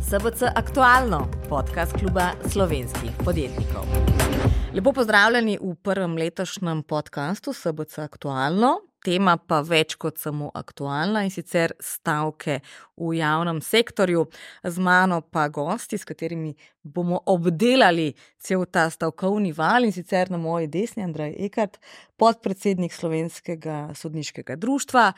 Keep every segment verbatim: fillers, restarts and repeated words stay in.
S B C Aktualno, podcast kluba slovenskih podjetnikov. Lepo pozdravljeni v prvem letošnjem podcastu S B C Aktualno. Tema pa več kot samo aktualna in sicer stavke v javnem sektorju. Z mano pa gosti, s katerimi bomo obdelali cel ta stavkovni val, in sicer na moji desni Andrej Ekart, podpredsednik Slovenskega sodniškega društva,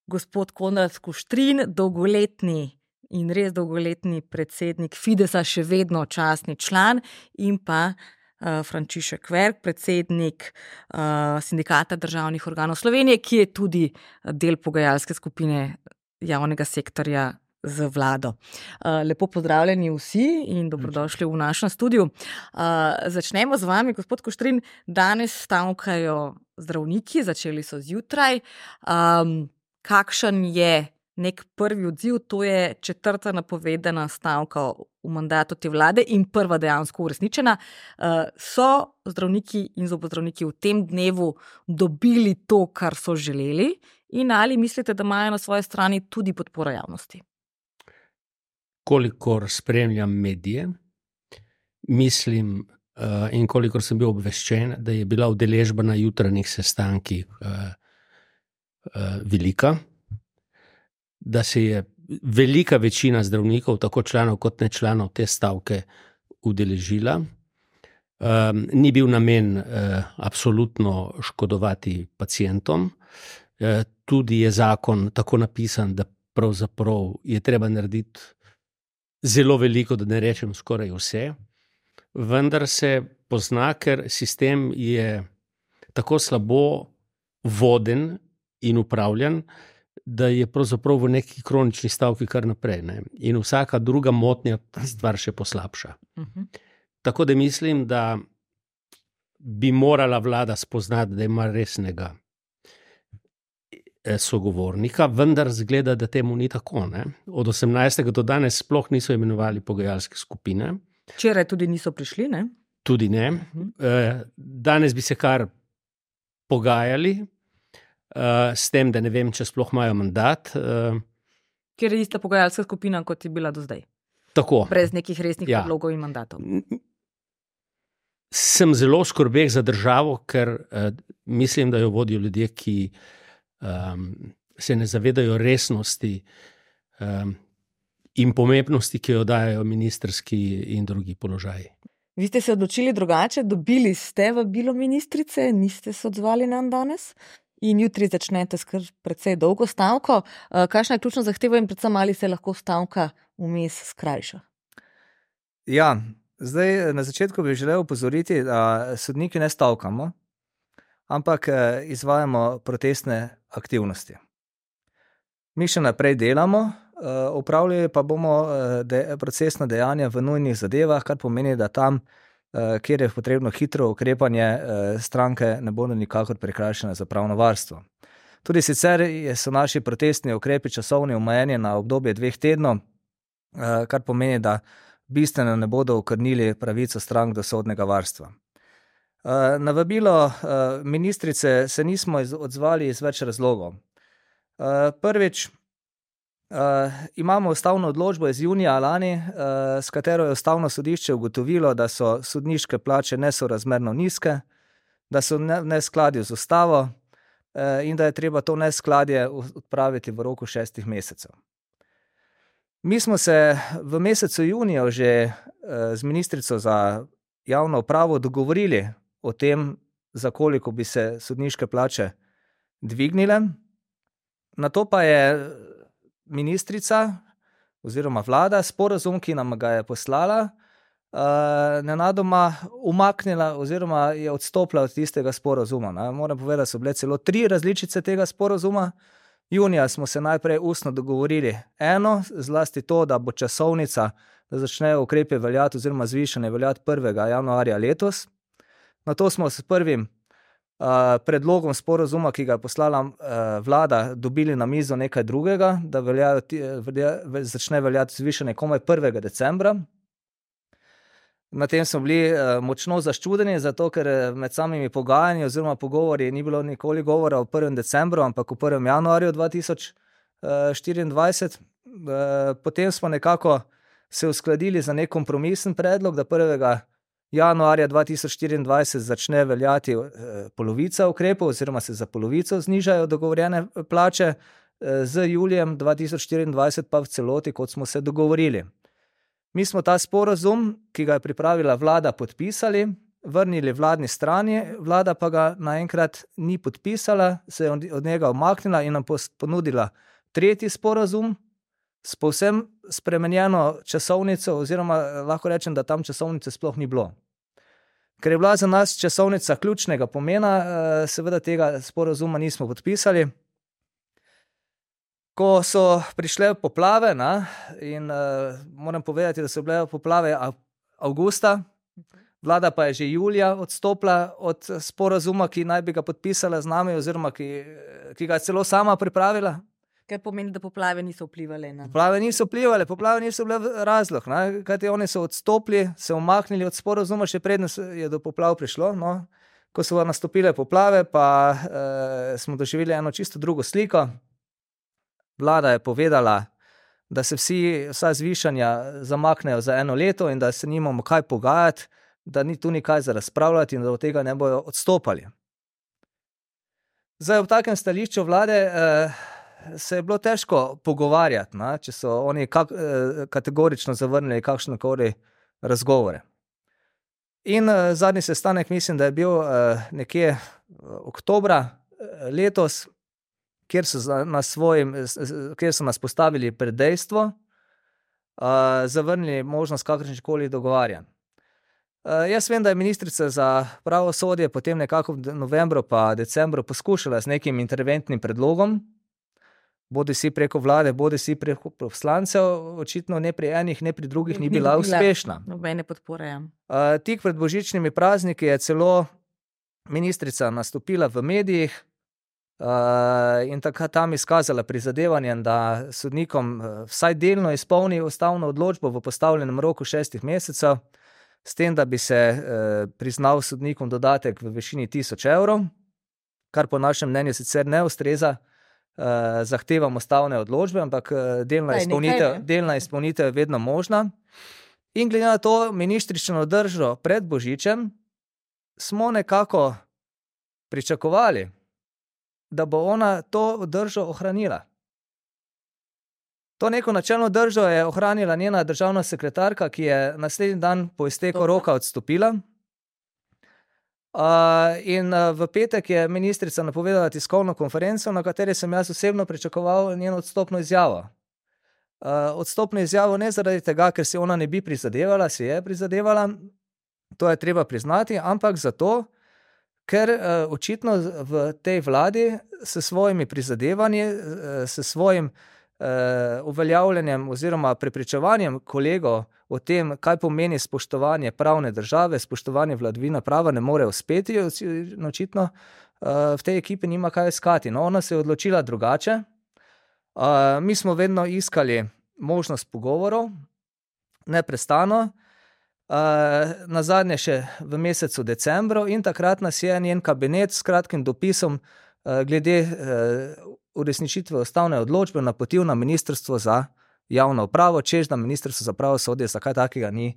gospod Konrad Kuštrin, dolgoletni in res dolgoletni predsednik Fidesa, še vedno častni član, in pa uh, Frančišek Verk, predsednik uh, Sindikata državnih organov Slovenije, ki je tudi del pogajalske skupine javnega sektorja z vlado. Uh, lepo pozdravljeni vsi in dobrodošli v našem studiu. Uh, začnemo z vami, gospod Kuštrin. Danes stavkajo zdravniki, začeli so zjutraj. Um, kakšen je nek prvi odziv? To je četrta napovedana stavka v mandatu te vlade in prva dejansko uresničena. So zdravniki in zobozdravniki v tem dnevu dobili to, kar so želeli, in ali mislite, da imajo na svoji strani tudi podporo javnosti? Kolikor spremljam medije, mislim in kolikor sem bil obveščen, da je bila udeležba na jutranjih sestankih velika, da se je velika večina zdravnikov, tako članov kot ne članov, te stavke udeležila. Um, ni bil namen uh, absolutno škodovati pacientom. Uh, tudi je zakon tako napisan, da pravzaprav je treba narediti zelo veliko, da ne rečem skoraj vse. Vendar se pozna, ker sistem je tako slabo voden in upravljan, da je pravzaprav v neki kronični stavki kar naprej. Ne? In vsaka druga motnja stvar še poslabša. Uh-huh. Tako da mislim, da bi morala vlada spoznati, da ima resnega sogovornika, vendar zgleda, da temu ni tako. Ne? Od osemnajstega do danes sploh niso imenovali pogajalske skupine. Včeraj tudi niso prišli, ne? Tudi ne. Uh-huh. Danes bi se kar pogajali, Uh, s tem, da ne vem, če sploh imajo mandat. Uh, Ker je ista pogajalska skupina, kot je bila do zdaj. Tako. Brez nekih resnih ja. predlogov in mandatov. Sem zelo skrbeh za državo, ker uh, mislim, da jo vodijo ljudje, ki um, se ne zavedajo resnosti um, in pomembnosti, ki jo dajo ministrski in drugi položaji. Vi ste se odločili drugače, dobili ste vabilo ministrice, niste se odzvali nam danes? In jutri začnete skr precej dolgo stavko. Kakšna je ključna zahteva in predvsem ali se lahko stavka vmes skrajša? Ja, zdaj na začetku bi želel opozoriti, da sodniki ne stavkamo, ampak izvajamo protestne aktivnosti. Mi še naprej delamo, opravljali pa bomo de procesna dejanja v nujnih zadevah, kar pomeni, da tam, kjer je potrebno hitro ukrepanje, stranke ne bodo nikakor prikrajšane za pravno varstvo. Tudi sicer so naši protestni ukrepi časovni omejeni na obdobje dveh tednov, kar pomeni, da bistveno ne bodo okrnili pravico strank do sodnega varstva. Na vabilo ministrice se nismo odzvali iz več razlogov. Prvič, Uh, imamo ustavno odločbo iz junija lani, uh, s katero je ustavno sodišče ugotovilo, da so sodniške plače nesorazmerno nizke, da so v neskladju z ustavo uh, in da je treba to neskladje odpraviti v roku šestih mesecev. Mi smo se v mesecu juniju že uh, z ministrico za javno upravo dogovorili o tem, za koliko bi se sodniške plače dvignile. Na to pa je ministrica oziroma vlada sporazum, ki nam ga je poslala, uh, nenadoma umaknila oziroma je odstopila od tistega sporazuma. Ne. Moram povedati, da so bile celo tri različice tega sporazuma. Junija smo se najprej ustno dogovorili eno, zlasti to, da bo časovnica, da začnejo ukrepe veljati oziroma zvišanje veljati prvega januarja letos. Na to smo s prvim Uh, predlogom sporazuma, ki ga je poslala uh, vlada, dobili na mizo nekaj drugega, da veljajo, velja, začne veljati zvišanje komaj prvega decembra. Na tem smo bili uh, močno zaščudeni, zato ker med samimi pogajanji oziroma pogovori ni bilo nikoli govora o prvem decembru, ampak o prvem januarju dva tisoč štiriindvajset. Uh, potem smo nekako se uskladili za nek kompromisen predlog, da prvega januarja dva tisoč štiriindvajset začne veljati polovica ukrepov oziroma se za polovico znižajo dogovorjene plače, z julijem dva tisoč štiriindvajset pa v celoti, kot smo se dogovorili. Mi smo ta sporazum, ki ga je pripravila vlada, podpisali, vrnili vladni strani, vlada pa ga naenkrat ni podpisala, se je od njega umaknila in nam ponudila tretji sporazum s povsem spremenjeno časovnico, oziroma lahko rečem, da tam časovnice sploh ni bilo. Ker je bila za nas časovnica ključnega pomena, seveda tega sporazuma nismo podpisali. Ko so prišle poplave, na, in uh, moram povedati, da so bile poplave avgusta, vlada pa je že julija odstopila od sporazuma, ki naj bi ga podpisala z nami, oziroma ki, ki ga je celo sama pripravila. Kar pomeni, da poplave niso vplivali na... Poplave niso vplivali, poplave niso bile razlog, ne? Kajti oni so odstopili, se umaknili od sporazuma, še predno je do poplav prišlo. No? Ko so nastopile poplave, pa eh, smo doživeli eno čisto drugo sliko. Vlada je povedala, da se vsi, vsa zvišanja zamaknejo za eno leto in da se nimamo kaj pogajati, da ni tu nikaj za razpravljati in da od tega ne bojo odstopali. Zdaj, v takem stališču vlade eh, se je bilo težko pogovarjati, na, če so oni kak, eh, kategorično zavrnili kakšnekoli razgovore. In eh, zadnji sestanek, mislim, da je bil eh, nekje oktobra eh, letos, Kjer so, nas svojim, kjer so nas postavili pred dejstvo, uh, zavrnili možnost kakršnekoli dogovarjanj. Uh, jaz vem, da je ministrica za pravosodje potem nekako v novembru pa decembru poskušala z nekim interventnim predlogom, bodi si preko vlade, bodi si preko poslancev, očitno ne pri enih, ne pri drugih ni, ni bila uspešna. Nobene podpore, ja. Uh, tik pred božičnimi prazniki je celo ministrica nastopila v medijih, Uh, in tako tam izkazala prizadevanje, da sodnikom uh, vsaj delno izpolni ustavno odločbo v postavljenem roku šestih mesecev, s tem, da bi se uh, priznal sodnikom dodatek v višini tisoč evrov, kar po našem mnenju sicer ne ustreza uh, zahtevam ustavne odločbe, ampak uh, delna, izpolnitev, delna izpolnitev je vedno možna. In glede na to ministrično držo pred Božičem smo nekako pričakovali, da bo ona to držo ohranila. To neko načelno držo je ohranila njena državna sekretarka, ki je naslednji dan po izteku roka odstopila. Uh, in uh, v petek je ministrica napovedala tiskovno konferenco, na kateri sem jaz osebno pričakoval njeno odstopno izjavo. Uh, odstopno izjavo ne zaradi tega, ker si ona ne bi prizadevala, si je prizadevala, to je treba priznati, ampak zato, ker uh, očitno v tej vladi s svojimi prizadevanji, uh, s svojim uh, uveljavljanjem oziroma prepričevanjem kolegov o tem, kaj pomeni spoštovanje pravne države, spoštovanje vladavine prava, ne more uspeti, očitno uh, v tej ekipi nima kaj iskati. No, ona se je odločila drugače. Uh, mi smo vedno iskali možnost pogovorov, neprestano, Uh, na zadnje še v mesecu decembru, in takrat nas je njen kabinet s kratkim dopisom uh, glede uh, uresničitve ustavne odločbe napotil na Ministrstvo za javno upravo, češ da Ministrstvo za pravosodje za kaj takega ni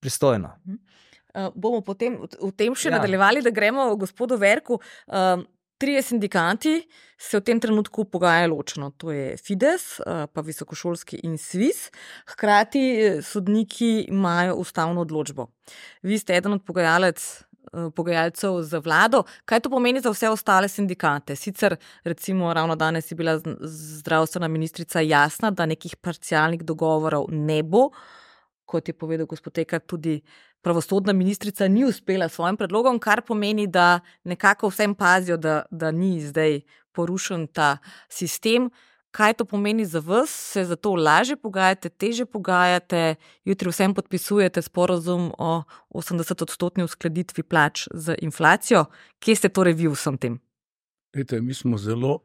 pristojno. Uh, bomo potem v tem še ja. nadaljevali, da gremo gospodu Verku. Uh, Trije sindikati se v tem trenutku pogajajo ločeno, to je Fides, pa Visokošolski in Sviz. Hkrati sodniki imajo ustavno odločbo. Vi ste eden od pogajalec, pogajalcev za vlado. Kaj to pomeni za vse ostale sindikate? Sicer recimo ravno danes je bila zdravstvena ministrica jasna, da nekih parcialnih dogovorov ne bo, kot je povedal gospod Ekart, tudi pravosodna ministrica ni uspela s svojim predlogom, kar pomeni, da nekako vsem pazijo, da, da ni zdaj porušen ta sistem. Kaj to pomeni za vas? Se zato lažje pogajate, teže pogajate, jutri vsem podpisujete sporazum o osemdeset odstotni uskladitvi plač z inflacijo. Kje ste torej vi vsem tem? Ete, mi smo zelo,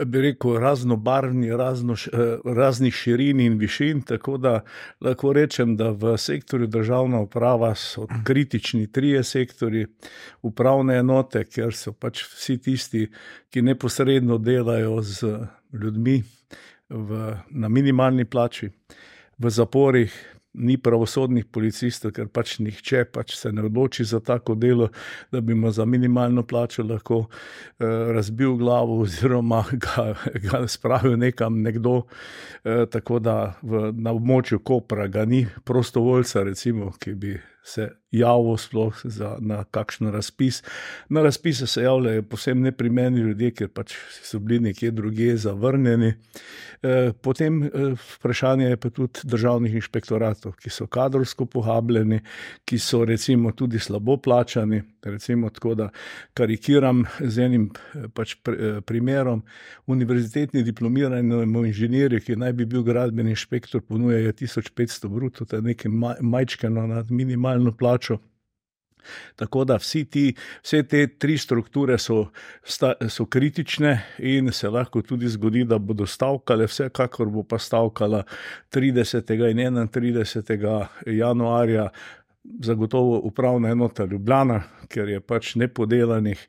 bi rekel, raznobarvni, razno, raznih širin in višin, tako da lahko rečem, da v sektorju državna uprava so kritični trije sektori, upravne enote, ker so pač vsi tisti, ki neposredno delajo z ljudmi v, na minimalni plači. v zaporih ni pravosodnih policistov, ker pač nihče pač se ne odloči za tako delo, da bi mu za minimalno plačo lahko eh, razbil glavo oziroma ga, ga spravil nekam nekdo, eh, tako da v, na območju Kopra ga ni prostovoljca, recimo, ki bi se javil sploh za, na kakšen razpis. Na razpise se javljajo povsem neprimerni ljudje, ker pač so bili nekje drugje zavrnjeni. E, potem e, vprašanje je pa tudi državnih inšpektoratov, ki so kadrovsko pohabljeni, ki so recimo tudi slabo plačani, recimo tako, da karikiram z enim pač primerom, univerzitetni diplomirani inženirji, ki naj bi bil gradbeni inšpektor, ponujajo tisoč petsto bruto, to je nekaj majčkeno nad minimalno plačo. Tako da vsi ti, vse te tri strukture so, sta, so kritične in se lahko tudi zgodi, da bodo stavkale, vsekakor bo pa stavkala tridesetega in enaintridesetega januarja zagotovo upravna enota Ljubljana, ker je pač nepodelanih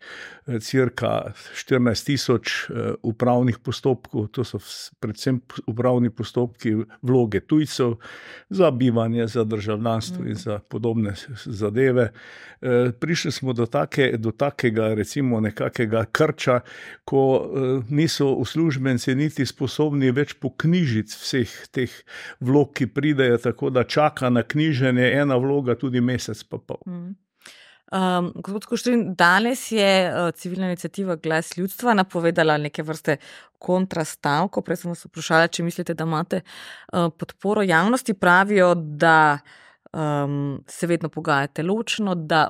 cirka štirinajst tisoč upravnih postopkov, to so predvsem upravni postopki vloge tujcev za bivanje, za državljanstvo in za podobne zadeve. Prišli smo do, take, do takega recimo nekakega krča, ko niso uslužbenci niti sposobni več poknjižiti vseh teh vlog, ki pridejo, tako da čaka na knjiženje ena vloga tudi mesec pa pol. Mm. Um, gospod Kuštrin, danes je uh, civilna iniciativa Glas ljudstva napovedala neke vrste kontrastavko. Prej sem vas vprašala, če mislite, da imate uh, podporo javnosti. Pravijo, da um, se vedno pogajate ločno, da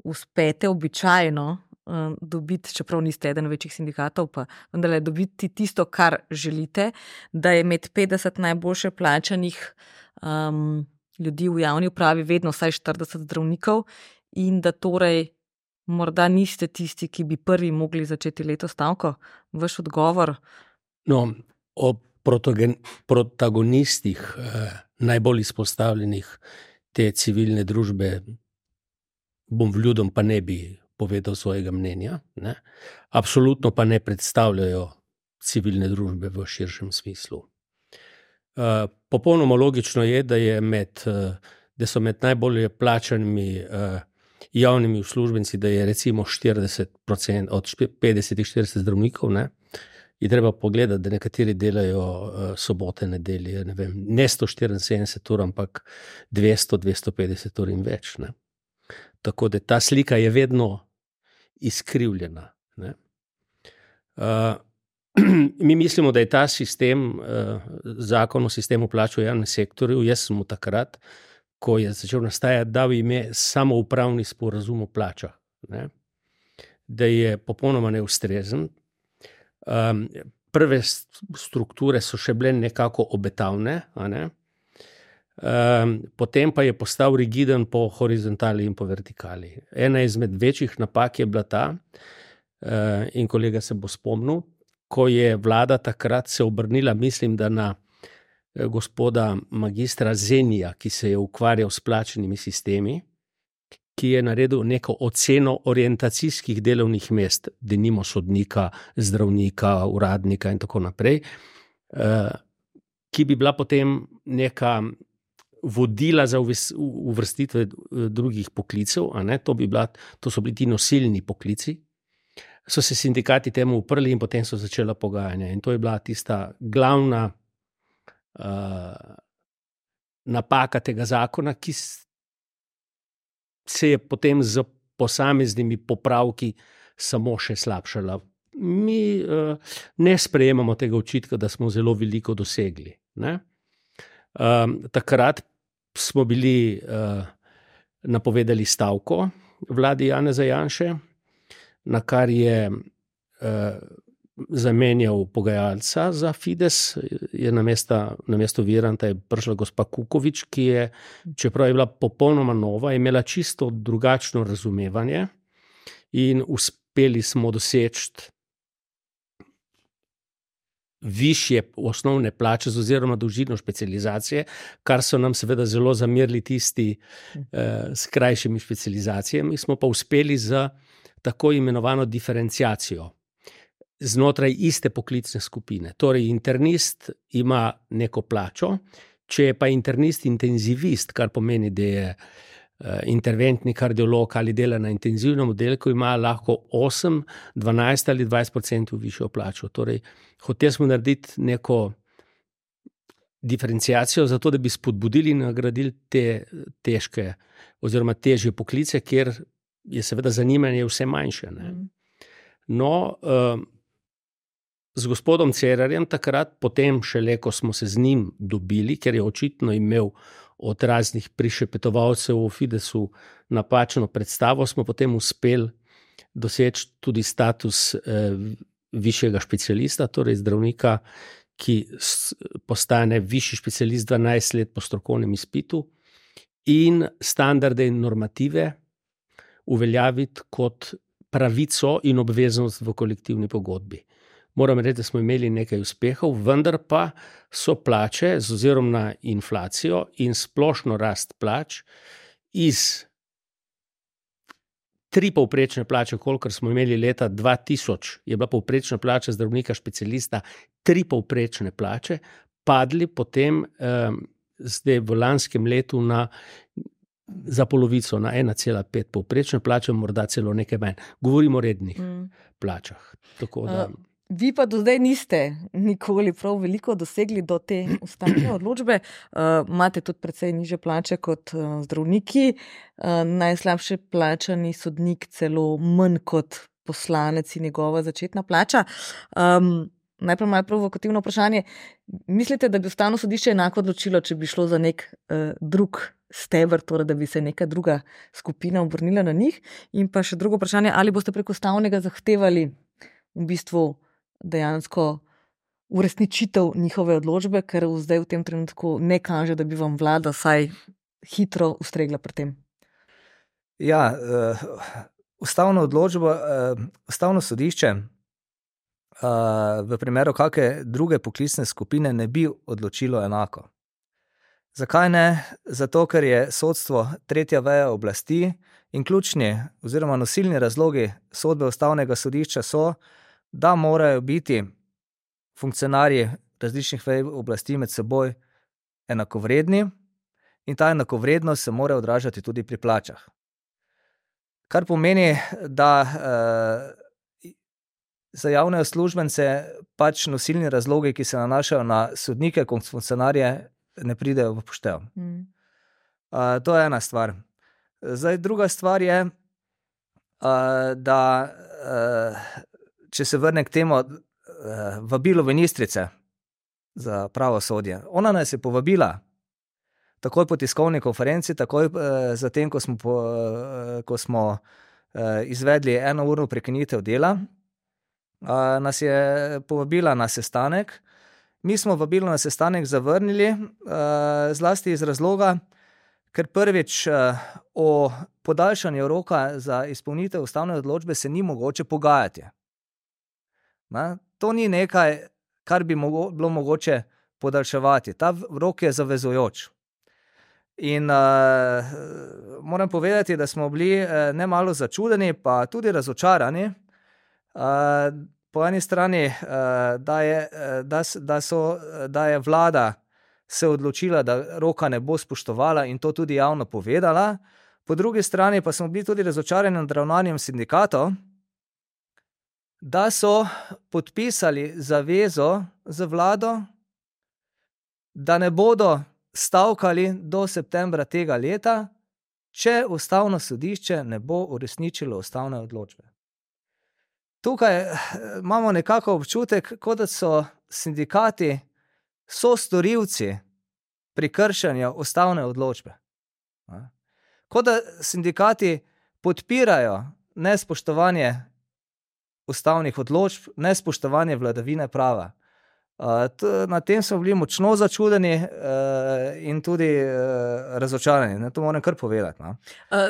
uspete običajno um, dobiti, čeprav niste eden večjih sindikatov, pa vendarle dobiti tisto, kar želite, da je med petdeset najboljše plačanih um, ljudi v javni upravi vedno vsaj štirideset zdravnikov in da torej morda niste tisti, ki bi prvi mogli začeti leto stavko. Vaš odgovor? No, o protagonistih eh, najbolj izpostavljenih te civilne družbe bom vljudom pa ne bi povedal svojega mnenja. Ne? Absolutno pa ne predstavljajo civilne družbe v širšem smislu. Uh, popolnoma logično je, da, je med, uh, da so med najbolje plačanimi uh, javnimi uslužbenci, da je recimo štirideset procentov od petdeset do štirideset zdravnikov, ne? Je treba pogledati, da nekateri delajo uh, sobote, nedelje, ne vem, ne sto štiriinsedemdeset ur, ampak dvesto do dvesto petdeset ur in več. Ne? Tako da ta slika je vedno izkrivljena. Ne? Uh, Mi mislimo, da je ta sistem, zakon o sistemu plač v javnem sektorju, jaz sem mu takrat, ko je začel nastajati, dal ime samoupravni sporazum o plačah. Ne? Da je popolnoma neustrezen. Prve strukture so še bile nekako obetavne, a ne? Potem pa je postal rigiden po horizontali in po vertikali. Ena izmed večjih napak je bila ta, in kolega se bo spomnil, ko je vlada takrat se obrnila, mislim, da na gospoda magistra Zenija, ki se je ukvarjal s plačnimi sistemi, ki je naredil neko oceno orientacijskih delovnih mest, denimo sodnika, zdravnika, uradnika in tako naprej, ki bi bila potem neka vodila za uvrstitve drugih poklicev, a ne? To bi bila, to so bili ti nosilni poklici. So se sindikati temu uprli in potem so začela pogajanja. In to je bila tista glavna uh, napaka tega zakona, ki se je potem z posameznimi popravki samo še slabšala. Mi uh, ne sprejemamo tega očitka, da smo zelo veliko dosegli. Ne? Um, takrat smo bili uh, napovedali stavko vladi Janeza Janše, na kar je eh, zamenjal pogajalca za Fides, je na mesto Viranta je prišla gospa Kukovič, ki je, čeprav je bila popolnoma nova, imela čisto drugačno razumevanje in uspeli smo doseči višje osnovne plače oziroma dolžino specializacije, kar so nam seveda zelo zamerili tisti eh, s krajšimi specializacijami, smo pa uspeli za tako imenovano diferenciacijo znotraj iste poklicne skupine. Torej, internist ima neko plačo, Če je pa internist intenzivist, kar pomeni, da je interventni kardiolog ali dela na intenzivnem oddelku, ima lahko osem, dvanajst ali dvajset procentov višjo plačo. Torej, hotel smo narediti neko diferenciacijo zato, da bi spodbudili in nagradili te težke oziroma težje poklice, kjer je seveda zanimanje vse manjše. Ne? No, z gospodom Cerarjem takrat, potem šele, ko smo se z njim dobili, ker je očitno imel od raznih prišepetovalcev v Fidesu napačno predstavo, smo potem uspeli doseči tudi status eh, višjega specialista, torej zdravnika, ki postane višji specialist dvanajst let po strokovnem izpitu in standarde in normative uveljaviti kot pravico in obveznost v kolektivni pogodbi. Moram reči, da smo imeli nekaj uspehov, vendar pa so plače z ozirom na inflacijo in splošno rast plač iz tri povprečne plače, kolikor smo imeli leta dva tisoč, je bila povprečna plača zdravnika specialista tri povprečne plače, padli potem eh, zdaj v lanskem letu na za polovico, na ena cela pet povprečne plače, morda celo nekaj manj. Govorimo o rednih mm. plačah. Tako da... Uh. Vi pa do zdaj niste nikoli prav veliko dosegli do te ustavne odločbe. Uh, imate tudi precej nižje plače kot uh, zdravniki. Uh, najslabše plačani sodnik celo manj kot poslanec in njegova začetna plača. Um, najprej malo provokativno vprašanje. Mislite, da bi ustavno sodišče enako odločilo, če bi šlo za nek uh, drug steber, torej da bi se neka druga skupina obrnila na njih? In pa še drugo vprašanje, ali boste preko ustavnega zahtevali v bistvu dejansko uresničitev njihove odločbe, ker zdaj v tem trenutku ne kaže, da bi vam vlada saj hitro ustregla pri tem. Ja, uh, ustavno odločbo, uh, ustavno sodišče uh, v primeru kakšne druge poklicne skupine ne bi odločilo enako. Zakaj ne? Zato, ker je sodstvo tretja veja oblasti in ključni oziroma nosilni razlogi sodbe ustavnega sodišča so, da morajo biti funkcionarji različnih vej oblasti med seboj enakovredni in ta enakovrednost se mora odražati tudi pri plačah. Kar pomeni, da eh, za javne uslužbence pač nosilni razlogi, ki se nanašajo na sodnike kot funkcionarje, ne pridejo v poštev. Mm. Uh, to je ena stvar. Zdaj, druga stvar je, uh, da uh, če se vrne k temu uh, vabilu ministrice za pravosodje. Ona nas je povabila takoj po tiskovni konferenci, takoj uh, zatem, ko smo, po, uh, ko smo uh, izvedli enourno prekinitev dela, uh, nas je povabila na sestanek. Mi smo vabilo na sestanek zavrnili, uh, zlasti iz razloga, ker prvič uh, o podaljšanju roka za izpolnitev ustavne odločbe se ni mogoče pogajati. Na, to ni nekaj, kar bi mogo, bilo mogoče podaljševati. Ta rok je zavezujoč. In uh, moram povedati, da smo bili uh, ne malo začudeni, pa tudi razočarani. Uh, po eni strani, uh, da, je, uh, da, da, so, da je vlada se odločila, da roka ne bo spoštovala in to tudi javno povedala. Po drugi strani pa smo bili tudi razočarani nad ravnanjem sindikatov, da so podpisali zavezo z vlado, da ne bodo stavkali do septembra tega leta, če ustavno sodišče ne bo uresničilo ustavne odločbe. Tukaj imamo nekako občutek, kot da so sindikati sostorilci pri kršenju ustavne odločbe. Kot da sindikati podpirajo nespoštovanje ustavnih odločb, nespoštovanje vladavine prava. Na tem smo bili močno začudeni in tudi razočarani. To moram kar povedati. No.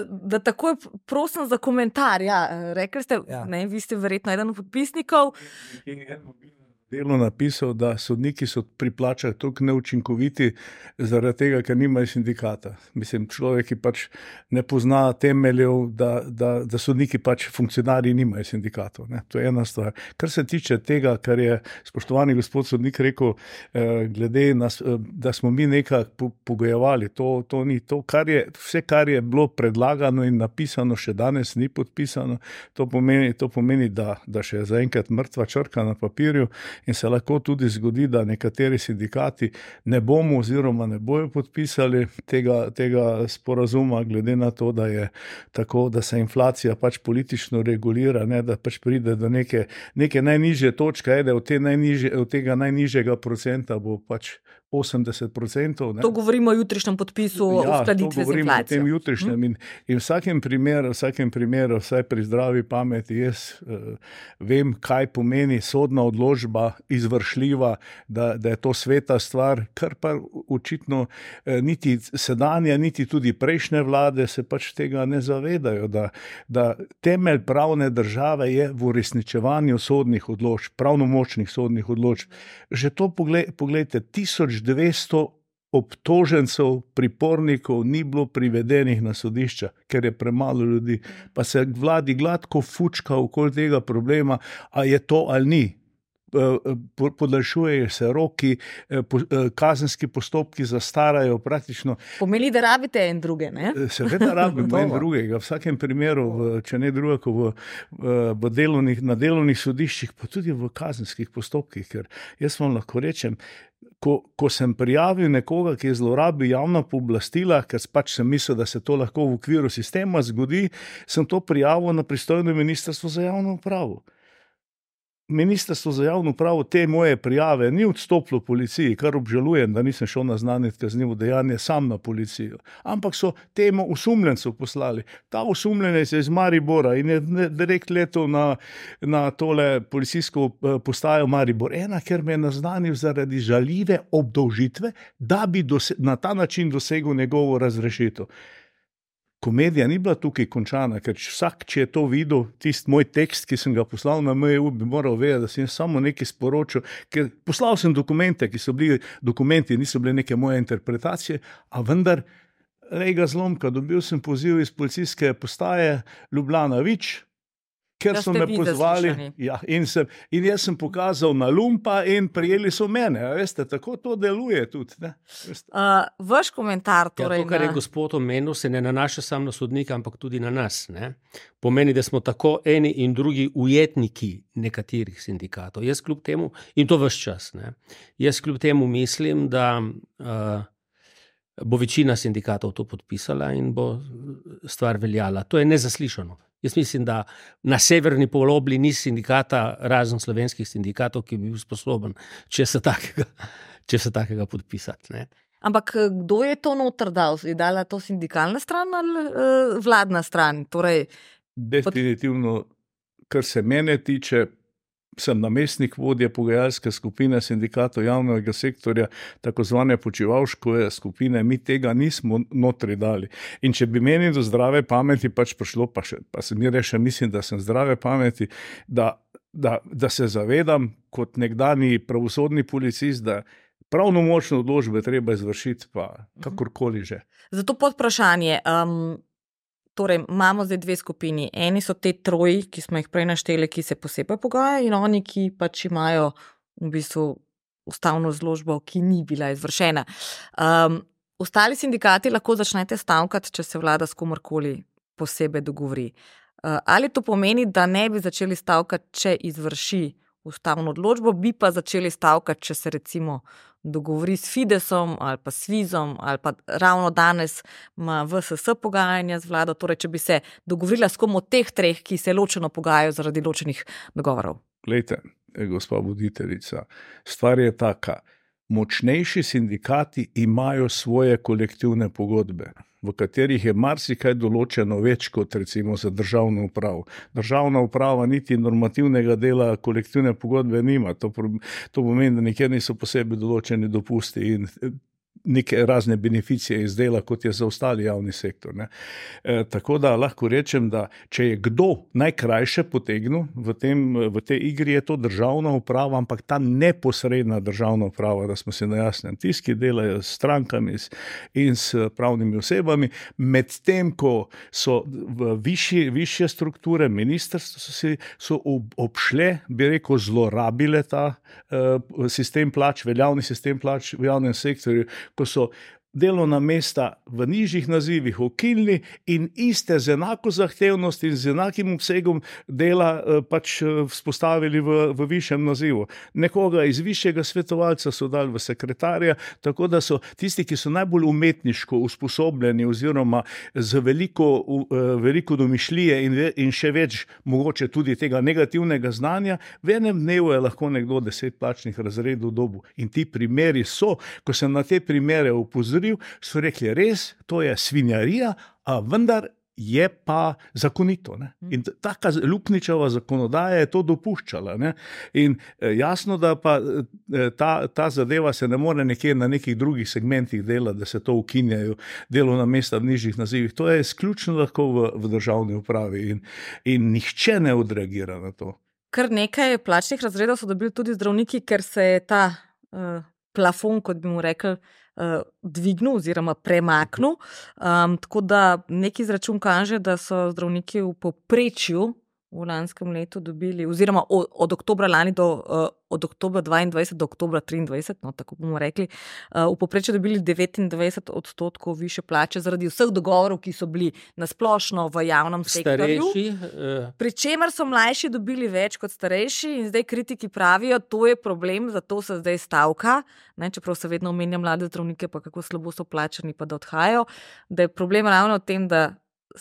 Da takoj prosim za komentar. Ja, rekli ste, ja. Ne, vi ste verjetno eden od podpisnikov. Delu napisal, da sodniki so pri plačah toliko neučinkoviti zaradi tega, ker nimajo sindikata. Mislim, človek, ki pač ne pozna temeljev, da, da, da sodniki pač funkcionarji nimajo sindikatov. Ne? To je ena stvar. Kar se tiče tega, kar je spoštovani gospod sodnik rekel, eh, glede na, da smo mi nekako pogojevali, to, to ni to, kar je, vse, kar je bilo predlagano in napisano, še danes ni podpisano. To pomeni, to pomeni da, da še je zaenkrat mrtva črka na papirju. In se lahko tudi zgodi, da nekateri sindikati ne bomo oziroma ne bojo podpisali tega, tega sporazuma, glede na to, da je tako, da se inflacija pač politično regulira, ne, da pač pride do neke, neke najnižje točke, ede, od, te najnižje, od tega najnižjega procenta bo pač osemdeset procentov. To govorimo o jutrišnjem podpisu ja, uskladitve z inflacijo. O tem jutrišnjem in, in v vsakem primeru, vsakem primeru, vsaj pri zdravi pameti, jaz uh, vem, kaj pomeni sodna odločba, izvršljiva, da, da je to sveta stvar, kar pa očitno uh, niti sedanja, niti tudi prejšnje vlade se pač tega ne zavedajo, da, da temelj pravne države je v uresničevanju sodnih odločb, pravnomočnih sodnih odločb. Že to pogled, pogledajte, tisoč dvesto obtožencev, pripornikov ni bilo privedenih na sodišča, ker je premalo ljudi. Pa se vladi gladko fučka okoli tega problema, a je to ali ni. Podaljšujejo se roki, kazenski postopki zastarajo praktično. Pomeni, da rabite en druge, ne? Seveda rabimo en drugega. V vsakem primeru, če ne drugo, v, v delovnih, na delovnih sodiščih, pa tudi v kazenskih postopkih, ker jaz vam lahko rečem, Ko, ko sem prijavil nekoga, ki je zlorabil javna pooblastila, ker pač sem mislil, da se to lahko v okviru sistema zgodi, sem to prijavil na pristojno ministrstvo za javno upravo. Ministrstvo za javno upravo te moje prijave ni odstopilo policiji, kar obžalujem, da nisem šel naznaniti kaznivo dejanje sam na policijo. Ampak so temu osumljencu poslali. Ta osumljenec je iz Maribora in je direkt letel na, na tole policijsko postajo Maribor. Ena, ker me je naznanil zaradi žaljive obdolžitve, da bi dose, na ta način dosegel njegovo razrešitev. Komedija ni bila tukaj končana, ker vsak, če je to videl, tisti moj tekst, ki sem ga poslal na M E U, bi moral vedeti, da sem samo nekaj sporočil, ker poslal sem dokumente, ki so bili dokumenti, niso bile neke moje interpretacije, a vendar, lej ga zlomka, dobil sem poziv iz policijske postaje Ljubljana Vič, ker so me pozvali, ja, in, sem, in jaz sem pokazal na lumpa in prijeli so mene. Veste, tako to deluje tudi. Ne? Uh, vaš komentar torej... Ja, to, kar je gospod omenil, se ne nanaša samo na sodnika, ampak tudi na nas. Ne? Pomeni, da smo tako eni in drugi ujetniki nekaterih sindikatov. Jaz kljub temu, in to ves čas, ne? Jaz kljub temu mislim, da uh, bo večina sindikatov to podpisala in bo stvar veljala. To je nezaslišano. Jaz mislim, da na severni polobli ni sindikata, razen slovenskih sindikatov, ki bi bil sposoben česa takega, česa takega podpisati. Ne? Ampak kdo je to noter dal? Je dala to sindikalna stran ali uh, vladna stran? Torej, definitivno, kar se mene tiče, sem namestnik vodje pogajalske skupine sindikatov javnega sektorja, tako zvane Počivalškove skupine, mi tega nismo notri dali. In če bi meni do zdrave pameti pač prišlo, pa, še, pa se mi reče, mislim, da sem zdrave pameti, da, da, da se zavedam kot nekdani pravosodni policist, da pravnomočne odločbe treba izvršiti, pa kakorkoli že. Zato podvprašanje, um, torej imamo zdaj dve skupini. Eni so te troji, ki smo jih prej našteli, ki se posebej pogajajo, in oni, ki pač imajo v bistvu ustavno zložbo, ki ni bila izvršena. Um, ostali sindikati lahko začnete stavkati, če se vlada s komorkoli posebej dogovori. Uh, ali to pomeni, da ne bi začeli stavkati, če izvrši ustavno odločbo, bi pa začeli stavkati, če se recimo dogovori s Fidesom ali pa s Svizom ali pa ravno danes ima V S S pogajanja z vlado, torej če bi se dogovorila s kom od teh treh, ki se ločeno pogajajo zaradi ločenih dogovorov. Glejte, gospa voditeljica, stvar je taka, močnejši sindikati imajo svoje kolektivne pogodbe, v katerih je marsikaj določeno več kot recimo za državno upravo. Državna uprava niti normativnega dela kolektivne pogodbe nima. To, to pomeni, da nikjer niso posebej določeni dopusti in neke razne beneficije iz dela, kot je za ostali javni sektor. Ne. E, tako da lahko rečem, da če je kdo najkrajše potegnil v, tem, v tej igri, je to državna uprava, ampak ta neposredna državna uprava, da smo si na jasnem, tisti, ki delajo s strankami in s pravnimi osebami, medtem ko so v višji, višje strukture, ministrstvo so, si, so ob, obšle, bi rekel, zlorabile ta uh, sistem plač, veljavni sistem plač v javnem sektorju, ko so delovna mesta v nižjih nazivih ukinili in iste z enako zahtevnost in z enakim obsegom dela pač vzpostavili v, v višjem nazivu. Nekoga iz višjega svetovalca so dali v sekretarja, tako da so tisti, ki so najbolj umetniško usposobljeni oziroma z veliko, veliko domišljije in, in še več mogoče tudi tega negativnega znanja, v enem dnevu je lahko nekdo deset plačnih razredov dobil. In ti primeri so, ko sem na te primere upozoril, so rekli, res, to je svinjarija, a vendar je pa zakonito. Ne? In taka Lukničeva zakonodaja je to dopuščala. Ne? In jasno, da pa ta, ta zadeva se ne more nekje na nekih drugih segmentih dela, da se to ukinjajo delovna mesta v nižjih nazivih. To je izključno lahko v, v državni upravi in, in nihče ne odreagira na to. Kar nekaj plačnih razredov so dobili tudi zdravniki, ker se je ta uh, plafon, kot bi mu rekli, dvignil oziroma premaknil. Um, tako da neki izračun kaže, da so zdravniki v povprečju v lanskem letu dobili, oziroma od, od oktobra lani do uh, od oktobra dvaindvajset do oktobra triindvajset, no, tako bomo rekli, uh, v povprečju dobili devetindvajset odstotkov više plače zaradi vseh dogovorov, ki so bili nasplošno v javnem sektorju. Starejši, uh... Pri čemer so mlajši dobili več kot starejši in zdaj kritiki pravijo, to je problem, zato se zdaj stavka, ne, čeprav se vedno omenja mlade zdravnike, pa kako slabo so plačani, pa da odhajajo, da je problem ravno v tem, da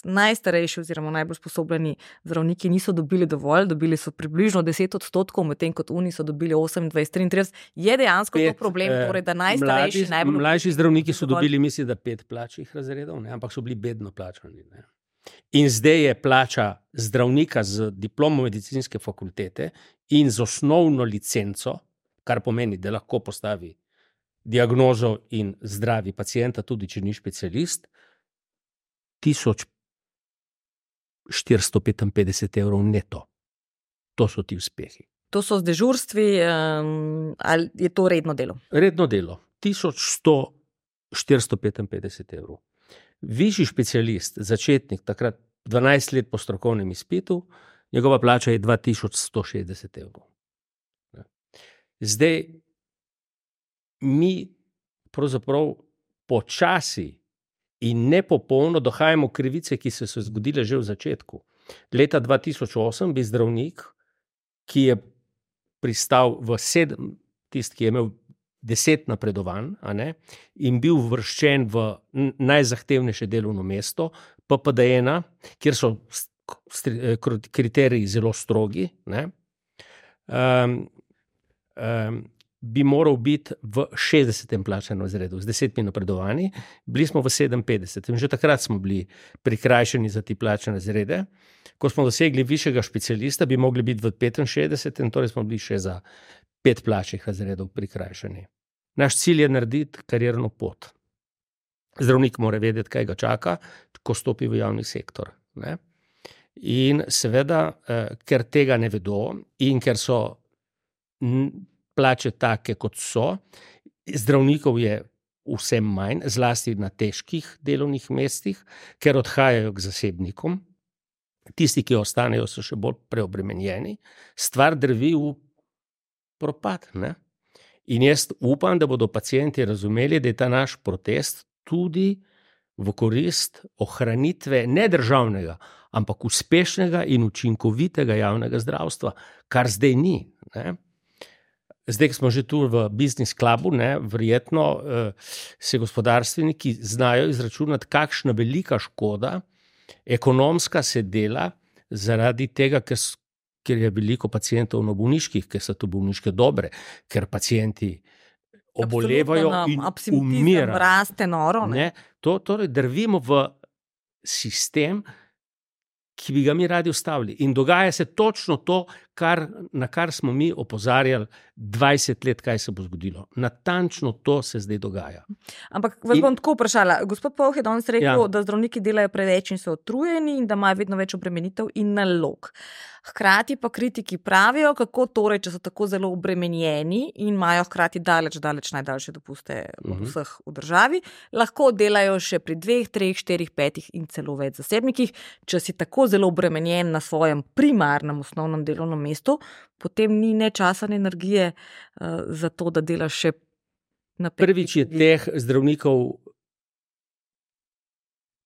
najstarejši oziroma najbolj sposobljeni zdravniki niso dobili dovolj, dobili so približno deset odstotkov, medtem kot oni so dobili osemindvajset, triintrideset. Je dejansko pet, to problem, torej, da najstarejši mladi, najbolj... Mlajši zdravniki so dobili, mislim, da pet plačnih razredov, ne, ampak so bili bedno plačani. Ne. In zdaj je plača zdravnika z diplomom medicinske fakultete in z osnovno licenco, kar pomeni, da lahko postavi diagnozo in zdravi pacienta, tudi če ni specialist, tisoč štiristo petinpetdeset evrov neto. To so ti uspehi. To so z dežurstvi, um, ali je to redno delo? Redno delo. tisoč sto štiristo petinpetdeset evrov. Višji specialist, začetnik, takrat dvanajst let po strokovnem izpitu, njegova plača je dva tisoč sto šestdeset evrov. Zdaj, mi pravzaprav počasi in nepopolno dohajamo krivice, ki so se zgodile že v začetku. Leta dva tisoč osem bi zdravnik, ki je pristal v sedem, tisti, ki je imel deset napredovanj, a ne, in bil uvrščen v najzahtevnejše delovno mesto, P P D ena, kjer so kriteriji zelo strogi, ne, um, um, bi moral biti v šestdesetem plačnem razredu, z desetimi napredovanji, bili smo v sedeminpetdesetem. Že takrat smo bili prikrajšani za ti plačne razrede. Ko smo dosegli višjega specialista, bi mogli biti v petinšestdesetem, torej smo bili še za pet plačnih razredov prikrajšani. Naš cilj je narediti karierno pot. Zdravnik mora vedeti, kaj ga čaka, ko stopi v javni sektor. Ne? In seveda, ker tega ne vedo in ker so plače take, kot so, zdravnikov je vsem manj, zlasti na težkih delovnih mestih, ker odhajajo k zasebnikom. Tisti, ki ostanejo, so še bolj preobremenjeni. Stvar drvi v propad. Ne? In jaz upam, da bodo pacienti razumeli, da je ta naš protest tudi v korist ohranitve ne državnega, ampak uspešnega in učinkovitega javnega zdravstva, kar zdaj ni. Ne? Zdaj smo že tu v Business Clubu, ne, verjetno eh, se gospodarstveniki znajo izračunati, kakšna velika škoda ekonomska se dela zaradi tega, ker, ker je veliko pacientov na bolniških, ker so to bolniške dobre, ker pacienti obolevajo in umirajo. Raste noro. Ne? Ne, to torej drvimo v sistem, ki bi ga mi radi ustavili. In dogaja se točno to, kar, na kar smo mi opozarjali dvajset let, kaj se bo zgodilo. Natančno to se zdaj dogaja. Ampak vas bom in... tako vprašala. Gospod Povh je danes rekel, Ja. da zdravniki delajo preveč in so utrujeni in da imajo vedno več obremenitev in nalog. Hkrati pa kritiki pravijo, kako torej, če so tako zelo obremenjeni in imajo hkrati daleč, daleč najdaljše dopuste od Mhm. vseh v državi, lahko delajo še pri dveh, treh, štirih, petih in celo več zasebnikih. Če si tako zelo obremenjen na svojem primarnem osnovnem delovnem mestu, potem ni ne časa, ne energije uh, za to, da delaš še naprej. Prvič je teh zdravnikov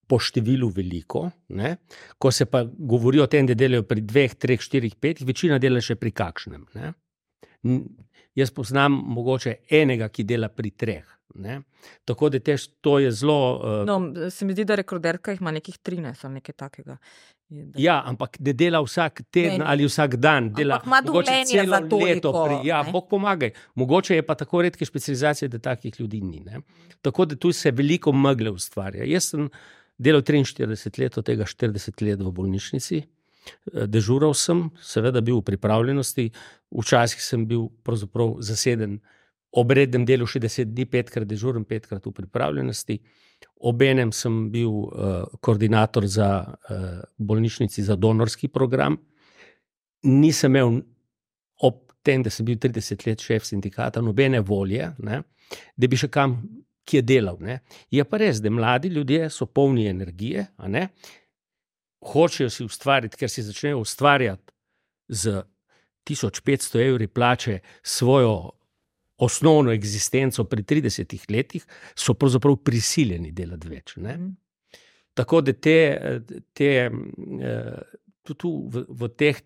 po številu veliko, ne? Ko se pa govori o tem, da delajo pri dveh, treh, štirih, petih, večina dela še pri kakšnem. Ne? N- Jaz poznam mogoče enega, ki dela pri treh. Ne? Tako da tež, to je zelo. Uh, No, se mi zdi, da rekorderka jih ima nekih trinajst ali nekaj takega. Je, da- Ja, ampak ne dela vsak teden Ne, ne. ali vsak dan. Dela Ampak ima mogoče dovoljenje celo za toliko, leto pri- Ja, ne. Bog pomagaj. Mogoče je pa tako redke specializacije, da takih ljudi ni. Ne? Tako da tu se veliko megle ustvarja. Jaz sem delal triinštirideset let, od tega štirideset let v bolnišnici. Eh, Dežural sem, seveda bil v pripravljenosti. Včasih sem bil pravzaprav zaseden ob rednem delu še deset dni, petkrat dežuren, petkrat v pripravljenosti. Obenem sem bil uh, koordinator za uh, bolnišnici za donorski program. Nisem imel ob tem, da sem bil trideset let šef sindikata, nobene volje, ne, da bi še kam kje delal. Ne. Je pa res, da mladi ljudje so polni energije, a ne, hočejo si ustvariti, ker si začnejo ustvarjati z tisoč petsto evri plače svojo osnovno eksistenco pri tridesetih letih, so pravzaprav prisiljeni delati več. Ne. Mhm. Tako da te, te eh, tudi tu v, v teh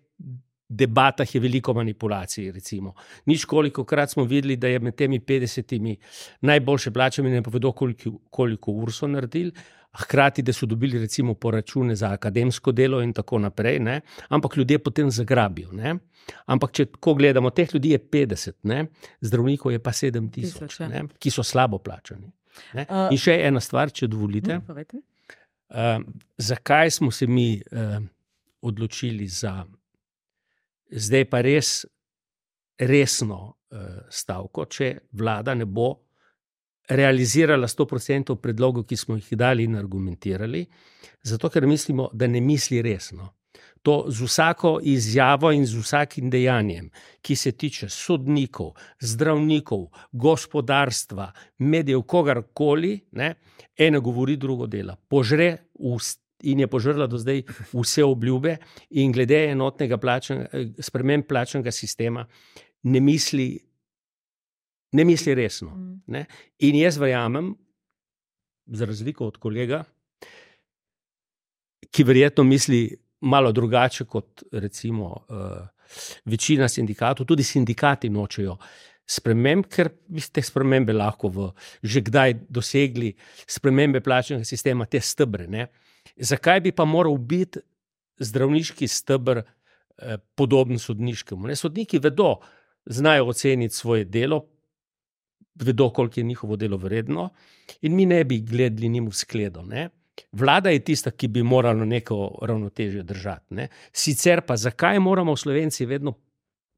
debatah je veliko manipulacij, recimo. Nič kolikokrat smo videli, da je med temi petdesetimi najboljše plačami ne povedo, koliko, koliko ur so naredili, hkrati, da so dobili recimo poračune za akademsko delo in tako naprej, ne? Ampak ljudje potem zagrabijo. Ne? Ampak če tako gledamo, teh ljudi je petdeset, ne? Zdravnikov je pa sedem tisoč, Tisoč, ja. ne? Ki so slabo plačani. Ne? Uh, In še ena stvar, če dovolite. Hm, povejte. Uh, zakaj smo se mi uh, odločili za zdaj pa res resno uh, stavko, če vlada ne bo realizirala sto procentov predlogov, ki smo jih dali in argumentirali, zato ker mislimo, da ne misli resno. To z vsako izjavo in z vsakim dejanjem, ki se tiče sodnikov, zdravnikov, gospodarstva, medijev, kogarkoli, ne, eno govori, drugo dela. Požre vst in je požrla do zdaj vse obljube in glede enotnega plačnega, sprememb plačnega sistema ne misli, ne misli resno. Ne? In jaz verjamem, za razliko od kolega, ki verjetno misli malo drugače kot recimo uh, večina sindikatov, tudi sindikati nočejo sprememb, ker bi te spremembe lahko v, že kdaj dosegli spremembe plačnega sistema, te stebre. Ne? Zakaj bi pa moral biti zdravniški steber eh, podoben sodniškemu? Ne? Sodniki vedo, znajo oceniti svoje delo, vedo, koliko je njihovo delo vredno in mi ne bi gledali njim v skledo. Ne? Vlada je tista, ki bi morala neko ravnotežje držati. Ne? Sicer pa zakaj moramo Slovenci vedno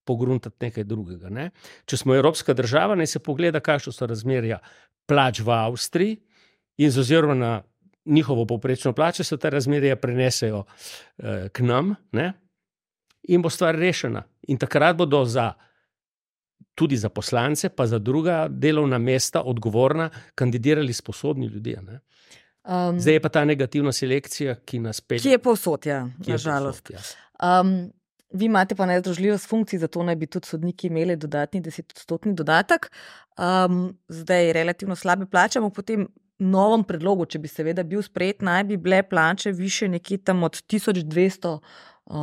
pogruntati nekaj drugega? Ne? Če smo evropska država, naj se pogleda, kakšno so razmerja plač v Avstriji in z ozirom na njihovo povprečno plače se ta razmerja prenesejo eh, k nam, ne? In bo stvar rešena. In takrat bodo za, tudi za poslance, pa za druga delovna mesta odgovorna kandidirali sposobni ljudje. Ne? Um, Zdaj je pa ta negativna selekcija, ki nas pelje. Ki je povsod, ja, ki je nažalost. povsod, ja. Um, vi imate pa nezdružljivost funkcij, zato naj bi tudi sodniki imeli dodatni desetodstotni dodatek. Um, zdaj relativno slabe plačamo, potem novem predlogu, če bi seveda bil sprejet, naj bi bile plače više nekje tam od tisoč dvesto uh,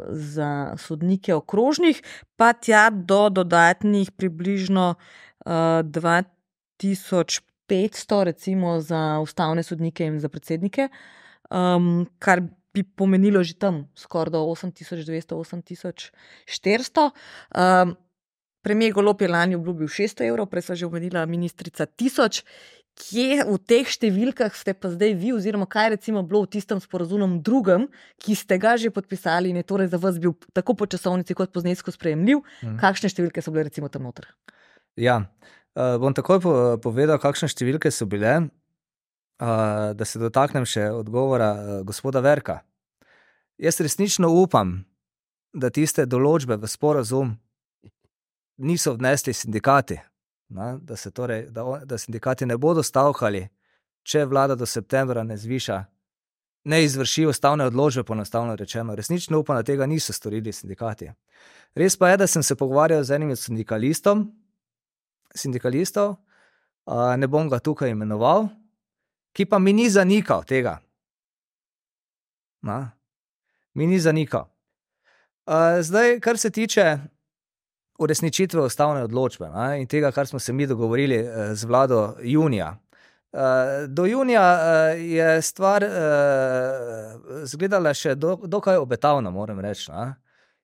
za sodnike okrožnih, pa tja do dodatnih približno uh, dva tisoč petsto recimo za ustavne sodnike in za predsednike, um, kar bi pomenilo že tam skoraj do osem tisoč dvesto, osem tisoč štiristo. Um, Premier Golob je lani obljubil šeststo evrov, prej so že omenila ministrica tisoč. kje v teh številkah ste pa zdaj vi, oziroma kaj je recimo bilo v tistem sporazumom drugem, ki ste ga že podpisali in je torej za vas bil tako po časovnici kot po znesku sprejemljiv, hmm. kakšne številke so bile recimo tam noter? Ja, uh, bom takoj po, povedal, kakšne številke so bile, uh, da se dotaknem še odgovora uh, gospoda Verka. Jaz resnično upam, da tiste določbe v sporazum niso vnesli sindikati. Na, da, se torej, da, da sindikati ne bodo stavkali, če vlada do septembra ne zviša, ne izvrši ustavne odločbe, poenostavljeno rečeno. Resnično upam, da tega niso storili sindikati. Res pa je, da sem se pogovarjal z enim sindikalistom, sindikalistov, a, ne bom ga tukaj imenoval, ki pa mi ni zanikal tega. Na, mi ni zanikal. A, zdaj, kar se tiče uresničitve ustavne odločbe, ne, in tega, kar smo se mi dogovorili eh, z vlado junija. Eh, do junija eh, je stvar eh, zgledala še do, dokaj obetavna, moram reči. Ne.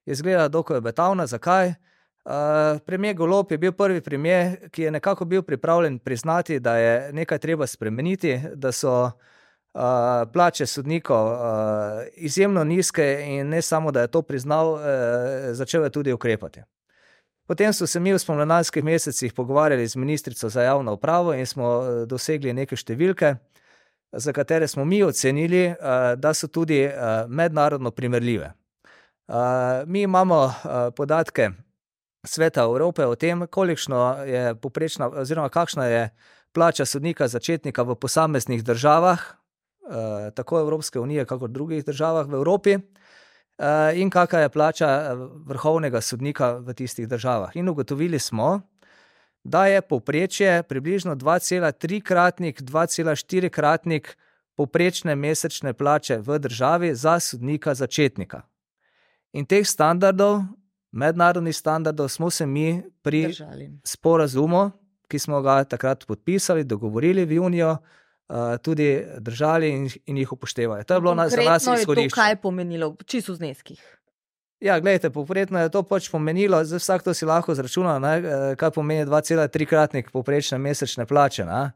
Je zgledala dokaj obetavna. Zakaj? Eh, premijer Golob je bil prvi premijer, ki je nekako bil pripravljen priznati, da je nekaj treba spremeniti, da so Uh, plače sodnikov uh, izjemno nizke in ne samo, da je to priznal, uh, začel je tudi ukrepati. Potem so se mi v spomladanskih mesecih pogovarjali z ministrico za javno upravo in smo dosegli neke številke, za katere smo mi ocenili, da so tudi mednarodno primerljive. Mi imamo podatke Sveta Evrope o tem, kolikšno je poprečna, oziroma kakšna je plača sodnika začetnika v posameznih državah, tako Evropske unije, kakor drugih državah v Evropi, in kakšna je plača vrhovnega sodnika v tistih državah. In ugotovili smo, da je povprečje približno dva cela tri kratnik, dva cela štiri kratnik povprečne mesečne plače v državi za sodnika začetnika. In teh standardov, mednarodnih standardov, smo se mi pri Držali. sporazumu, ki smo ga takrat podpisali, dogovorili v juniju, tudi držali in, in jih upoštevali. To je bilo za nas izhodišče. Konkretno je to kaj pomenilo, čisto v zneskih? Ja, gledajte, povprečno je to pač pomenilo, zdaj vsak to si lahko zračuna, ne, kaj pomeni dva cela tri kratnik povprečne mesečne plače. Ne.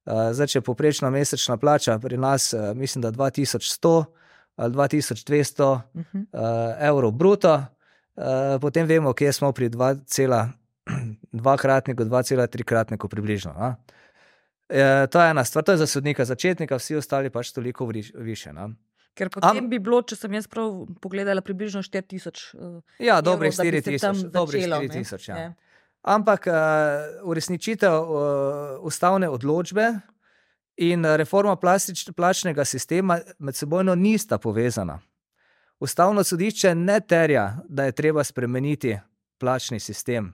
Zdaj, če povprečna mesečna plača pri nas, mislim, da dva tisoč sto ali dva tisoč dvesto uh-huh. evrov bruto, potem vemo, kje smo pri dva cela dva kratniku, dva cela tri kratniku približno. Ne. E, to je ena stvar, to je za sodnika začetnika, vsi ostali pač toliko više. Ne? Ker potem Am, bi bilo, če sem jaz prav pogledala, približno štiri tisoč uh, ja, dobrih štiri tisoč. Ja. Ampak uh, uresničitev uh, ustavne odločbe in reforma plastič, plačnega sistema med sebojno nista povezana. Ustavno sodišče ne terja, da je treba spremeniti plačni sistem.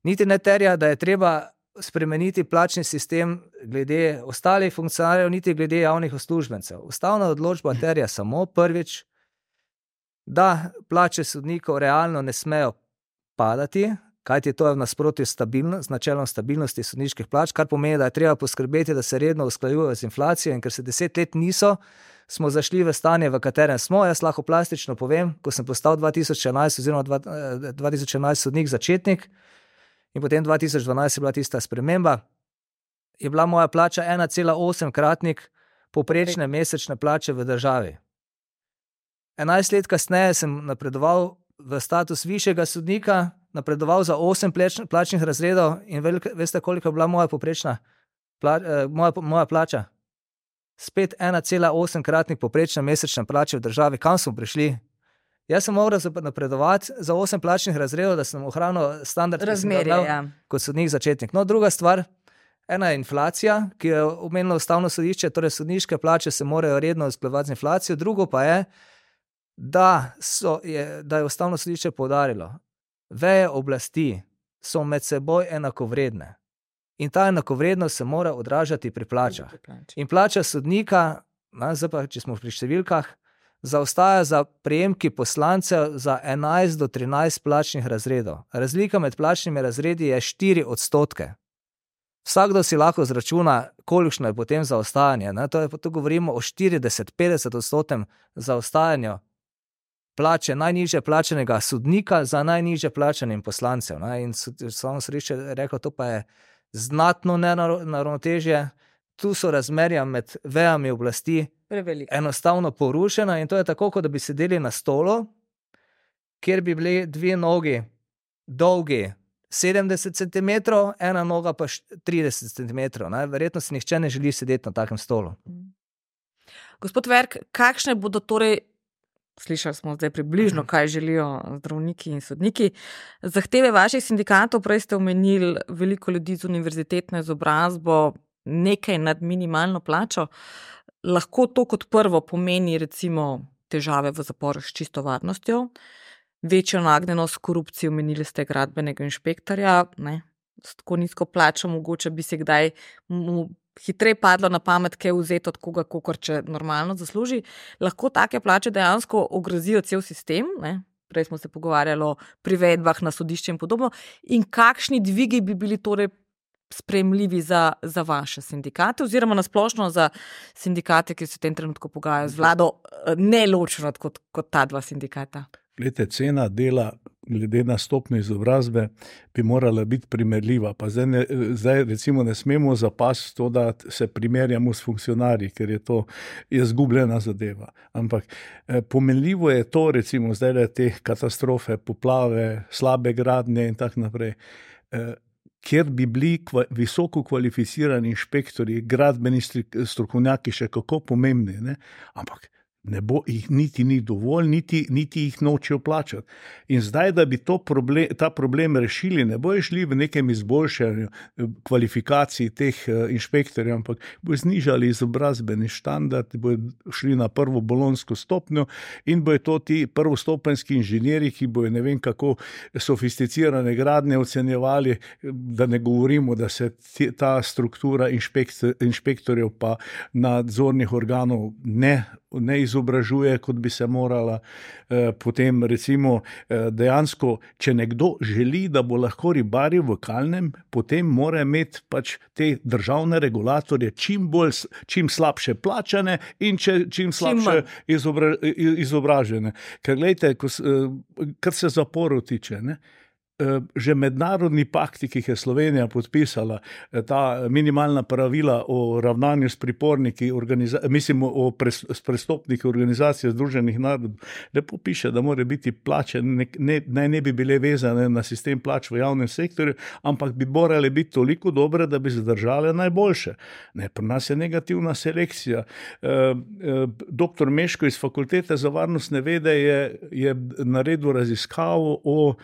Niti ne terja, da je treba spremeniti plačni sistem glede ostalih funkcionarjev, niti glede javnih uslužbencev. Ustavna odločba terja samo prvič, da plače sodnikov realno ne smejo padati, kajti to je v nasprotju z načelom stabilnosti sodniških plač, kar pomeni, da je treba poskrbeti, da se redno usklajujejo z inflacijo, in ker se deset let niso, smo zašli v stanje, v katerem smo. Jaz lahko plastično povem, ko sem postal dva tisoč enajst oziroma dva tisoč enajst sodnik začetnik, in potem dva tisoč dvanajst je bila tista sprememba, je bila moja plača ena cela osem kratnik povprečne mesečne plače v državi. enajst let kasneje sem napredoval v status višjega sodnika, napredoval za osem plačnih razredov in velike, veste, koliko je bila moja povprečna pla, eh, moja, moja plača? Spet ena cela osem kratnik povprečne mesečne plače v državi. Kam smo prišli? Jaz sem moral napredovati za osem plačnih razredov, da sem ohranil standard razmerja, ja. kot sodnik začetnik. No, druga stvar, ena je inflacija, ki je omenilo ustavno sodišče, torej sodniške plače se morajo redno usklajevati z inflacijo. Drugo pa je, da, so, je, da je ustavno sodišče poudarilo, veje oblasti so med seboj enakovredne. In ta enakovrednost se mora odražati pri plačah. In plača sodnika, na, zdaj pa, če smo pri številkah, zaostaja za prejemki poslancev za enajst do trinajst plačnih razredov. Razlika med plačnimi razredi je štiri odstotke. Vsakdo si lahko zračuna, kolikšno je potem zaostajanje. Ne? To je, to govorimo o štirideset do petdeset odstotnem zaostajanju plače najnižje plačenega sodnika za najnižje plačenim poslancev. Ne? In samo sodišče je reklo, to pa je znatno neravnotežje, tu so razmerja med vejami oblasti Preveliko. enostavno porušena in to je tako, kot da bi sedeli na stolu, kjer bi bili dve nogi dolgi sedemdeset centimetrov, ena noga pa trideset centimetrov. Ne? Verjetno si nihče ne želi sedeti na takem stolu. Gospod Verk, kakšne bodo torej, slišali smo zdaj približno, kaj želijo zdravniki in sodniki, zahteve vaših sindikatov, prej ste omenili veliko ljudi z univerzitetno izobrazbo, nekaj nad minimalno plačo, lahko to kot prvo pomeni recimo težave v zaporu s čisto varnostjo, večjo nagnjenost korupcije, omenili ste gradbenega inšpektorja, ne, s tako nizko plačo mogoče bi se kdaj mu hitreje padlo na pamet, kaj vzeti od koga, kakor če normalno zasluži. Lahko take plače dejansko ogrozijo cel sistem, ne? Prej smo se pogovarjali o privedbah na sodišče in podobno. In kakšni dvigi bi bili torej sprejemljivi za, za vaše sindikate oziroma nasplošno za sindikate, ki se v tem trenutku pogajajo z vlado, ne ločeno kot, kot ta dva sindikata? Glede, cena dela glede na stopnjo izobrazbe bi morala biti primerljiva. Pa zdaj, ne, zdaj recimo ne smemo zapasti to, da se primerjamo s funkcionarji, ker je to izgubljena zadeva. Ampak eh, pomenljivo je to, recimo zdaj le te katastrofe, poplave, slabe gradnje in tako naprej, eh, kjer bi bili kva, visoko kvalificirani inšpektori, gradbeni strokovnjaki še kako pomembni, ne? Ampak ne bo jih niti ni dovolj, niti, niti jih nočejo plačati. In zdaj, da bi to problem, ta problem rešili, ne bojo šli v nekem izboljšanju kvalifikacij teh inšpektorjev, ampak bojo znižali izobrazbeni standard, bojo šli na prvo bolonjsko stopnjo in bojo to ti prvostopenjski inženirji, ki bojo ne vem kako sofisticirane gradnje ocenjevali, da ne govorimo, da se ta struktura inšpektor, inšpektorjev pa nadzornih organov ne ne izobražuje, kot bi se morala. Potem recimo dejansko, če nekdo želi, da bo lahko ribaril v kalnem, potem mora imeti pač te državne regulatorje čim bolj, čim slabše plačane in če, čim slabše izobra, izobražene. Ker gledajte, ko, kar se zaporov tiče, ne? Že mednarodni pakti, ki jih je Slovenija podpisala, ta minimalna pravila o ravnanju s priporniki, mislim o pres, prestopniki Organizacije Združenih narodov, lepo piše, da mora biti plače, ne, ne, ne bi bile vezane na sistem plač v javnem sektorju, ampak bi morale biti toliko dobre, da bi zadržale najboljše. Ne, pri nas je negativna selekcija. E, e, doktor Meško iz Fakultete za varnostne vede je, je naredil raziskavo o,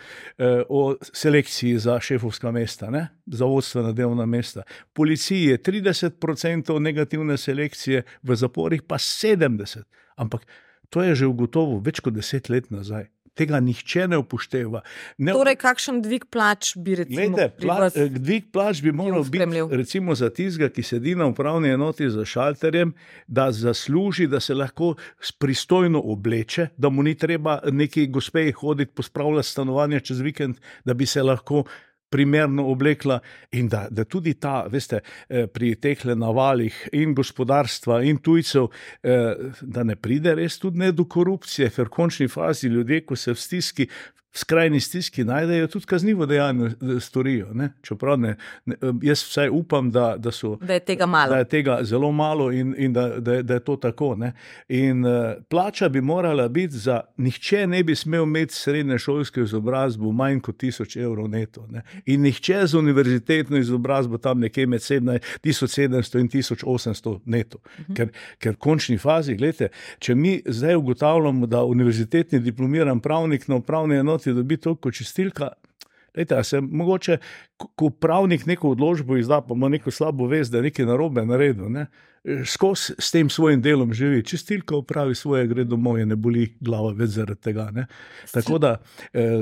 o selekciji za šefovska mesta, ne? Za vodstvena delovna mesta. V policiji je trideset procentov negativne selekcije, v zaporih pa sedemdeset. Ampak to je že ugotovo več kot deset let nazaj. Tega nihče ne upošteva. Ne, torej, kakšen dvig plač bi recimo glede, pri pla, vas dvig plač bi moral biti recimo za tistega, ki sedi na upravni enoti za šalterjem, da zasluži, da se lahko pristojno obleče, da mu ni treba neki gospeji hoditi pospravljati stanovanje čez vikend, da bi se lahko primerno oblekla in da, da tudi ta, veste, pri tehle navalih in gospodarstva in tujcev, da ne pride res tudi ne do korupcije, ker v končni fazi ljudje, ko se v stiski, v skrajni stiski najdejo, tudi kaznivo dejanje storijo. Ne? Čeprav ne, ne, jaz vsaj upam, da, da, so, da je tega malo, da je tega zelo malo in, in da, da, da je to tako. Ne? In uh, plača bi morala biti za, nihče ne bi smel imeti srednje šolsko izobrazbo manj kot tisoč evrov neto. Ne? In nihče z univerzitetno izobrazbo tam nekje med tisoč sedemsto in tisoč osemsto neto. Uh-huh. Ker, ker v končni fazi, gledajte, če mi zdaj ugotavljamo, da univerzitetni diplomiran pravnik na upravni enoti dobi toliko čistilka, lejte, a se mogoče, ko pravnik neko odločbo izda, pa ima neko slabo vest, da je nekaj narobe naredil, ne? Skozi s tem svojim delom živi, čistilka opravi svoje, gre domov in ne boli glava več zaradi tega. Ne? Tako da,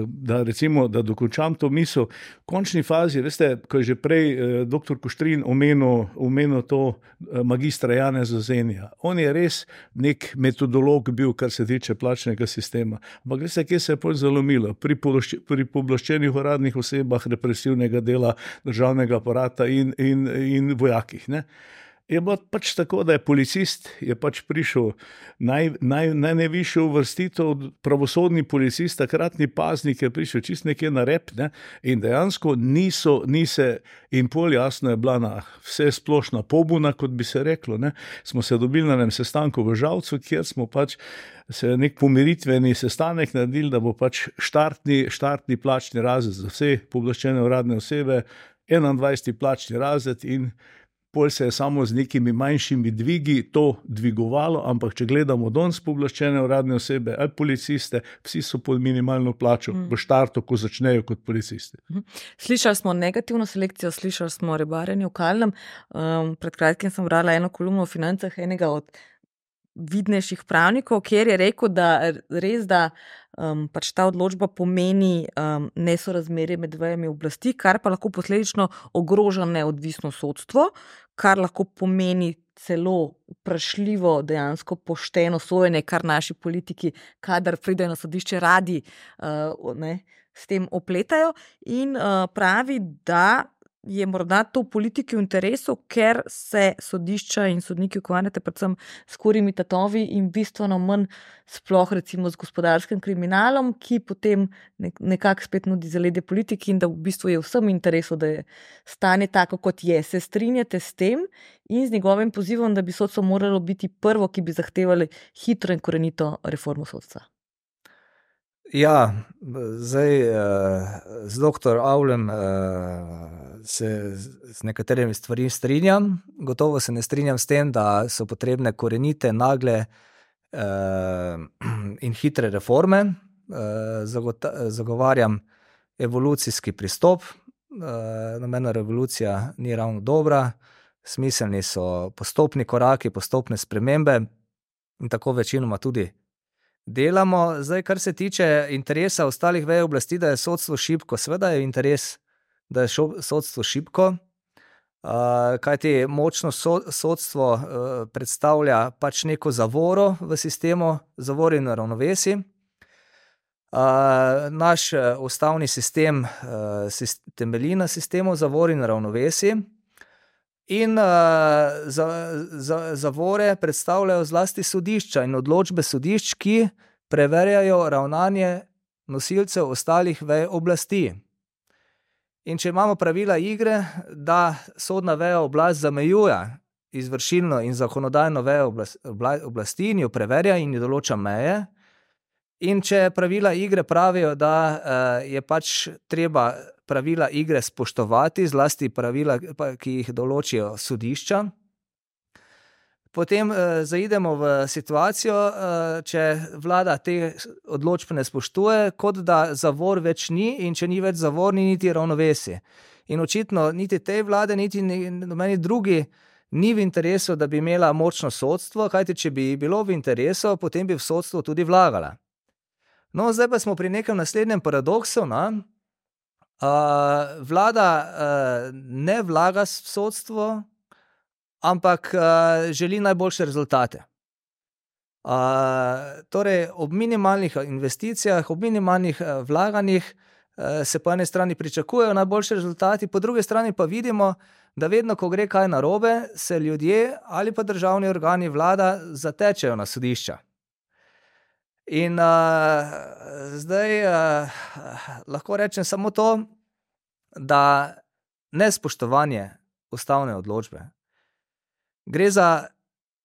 da recimo, da dokončam to misel, v končni fazi, veste, ko je že prej doktor Kuštrin omenil, omenil to magistra Janeza Zenija. On je res nek metodolog bil, kar se tiče plačnega sistema. Ampak veste, kje se je pol zalomilo? Pri, pri pooblaščenih uradnih osebah represivnega dela državnega aparata in, in, in vojakih. Ne? Je bilo pač tako, da je policist je pač prišel naj, naj, naj najvišjo uvrstitev, pravosodni policist, takratni paznik je prišel čist nekje na rep, ne? In dejansko niso, ni se, in pol jasno je bila na vse splošna pobuna, kot bi se reklo, ne? Smo se dobili na enem sestanku v Žalcu, kjer smo pač se nek pomiritveni sestanek naredili, da bo pač štartni, štartni plačni razred za vse pooblaščene uradne osebe, enaindvajseti plačni razred, in pol se je samo z nekimi manjšimi dvigi to dvigovalo, ampak če gledamo danes pooblaščene uradne osebe ali policiste, vsi so pod minimalno plačo mm. v štartu, ko začnejo kot policisti. Slišali smo negativno selekcijo, slišali smo ribarjenje v kalnem. Um, pred kratkim sem brala eno kolumno o financah enega od vidnejših pravnikov, kjer je rekel, da res, da um, pač ta odločba pomeni um, nesorazmerje med vejami oblasti, kar pa lahko posledično ogroža neodvisno sodstvo, kar lahko pomeni celo vprašljivo, dejansko pošteno sojenje, kar naši politiki, kadar pridejo na sodišče, radi uh, ne, s tem opletajo, in uh, pravi, da je morda to v politiki v interesu, ker se sodišča in sodniki ukvarjate predvsem s kurjimi tatovi in bistveno manj sploh recimo z gospodarskim kriminalom, ki potem nekako spet nudi zaledje politiki, in da v bistvu je vsem interesu, da je stanje tako, kot je. Se strinjate s tem in z njegovim pozivom, da bi sodstvo moralo biti prvo, ki bi zahtevali hitro in korenito reformo sodstva? Ja, zdaj z doktor Avlem se z nekaterimi stvarmi strinjam. Gotovo se ne strinjam s tem, da so potrebne korenite, nagle in hitre reforme. Zagovarjam evolucijski pristop. Nobena revolucija ni ravno dobra. Smiselni so postopni koraki, postopne spremembe in tako večinoma tudi delamo. Zdaj, kar se tiče interesa ostalih vej oblasti, da je sodstvo šibko, seveda je interes, da je sodstvo šibko, kajti močno sodstvo predstavlja pač neko zavoro v sistemu, zavoro in ravnovesij. Naš ustavni sistem temelji na sistemu zavor in ravnovesij. In uh, za, za, zavore predstavljajo zlasti sodišča in odločbe sodišč, ki preverjajo ravnanje nosilcev ostalih vej oblasti. In če imamo pravila igre, da sodna veja oblast zamejuje izvršilno in zakonodajno vejo oblasti in jo preverja in jo določa meje, in če pravila igre pravijo, da uh, je pač treba pravila igre spoštovati, zlasti pravila, ki jih določijo sodišča. Potem eh, zaidemo v situacijo, eh, če vlada te odločbe ne spoštuje, kot da zavor več ni, in če ni več zavor, ni niti ravnovesje. In očitno niti tej vlade, niti nobeni drugi ni v interesu, da bi imela močno sodstvo, kajti če bi bilo v interesu, potem bi v sodstvo tudi vlagala. No, zdaj pa smo pri nekem naslednjem paradoksu, no? Uh, vlada uh, ne vlaga v sodstvo, ampak uh, želi najboljše rezultate. Uh, torej, ob minimalnih investicijah, ob minimalnih uh, vlaganjih uh, se po eni strani pričakujejo najboljše rezultati, po drugi strani pa vidimo, da vedno, ko gre kaj narobe, se ljudje ali pa državni organi, vlada zatečejo na sodišča. In uh, zdaj uh, lahko rečem samo to, da nespoštovanje ustavne odločbe gre za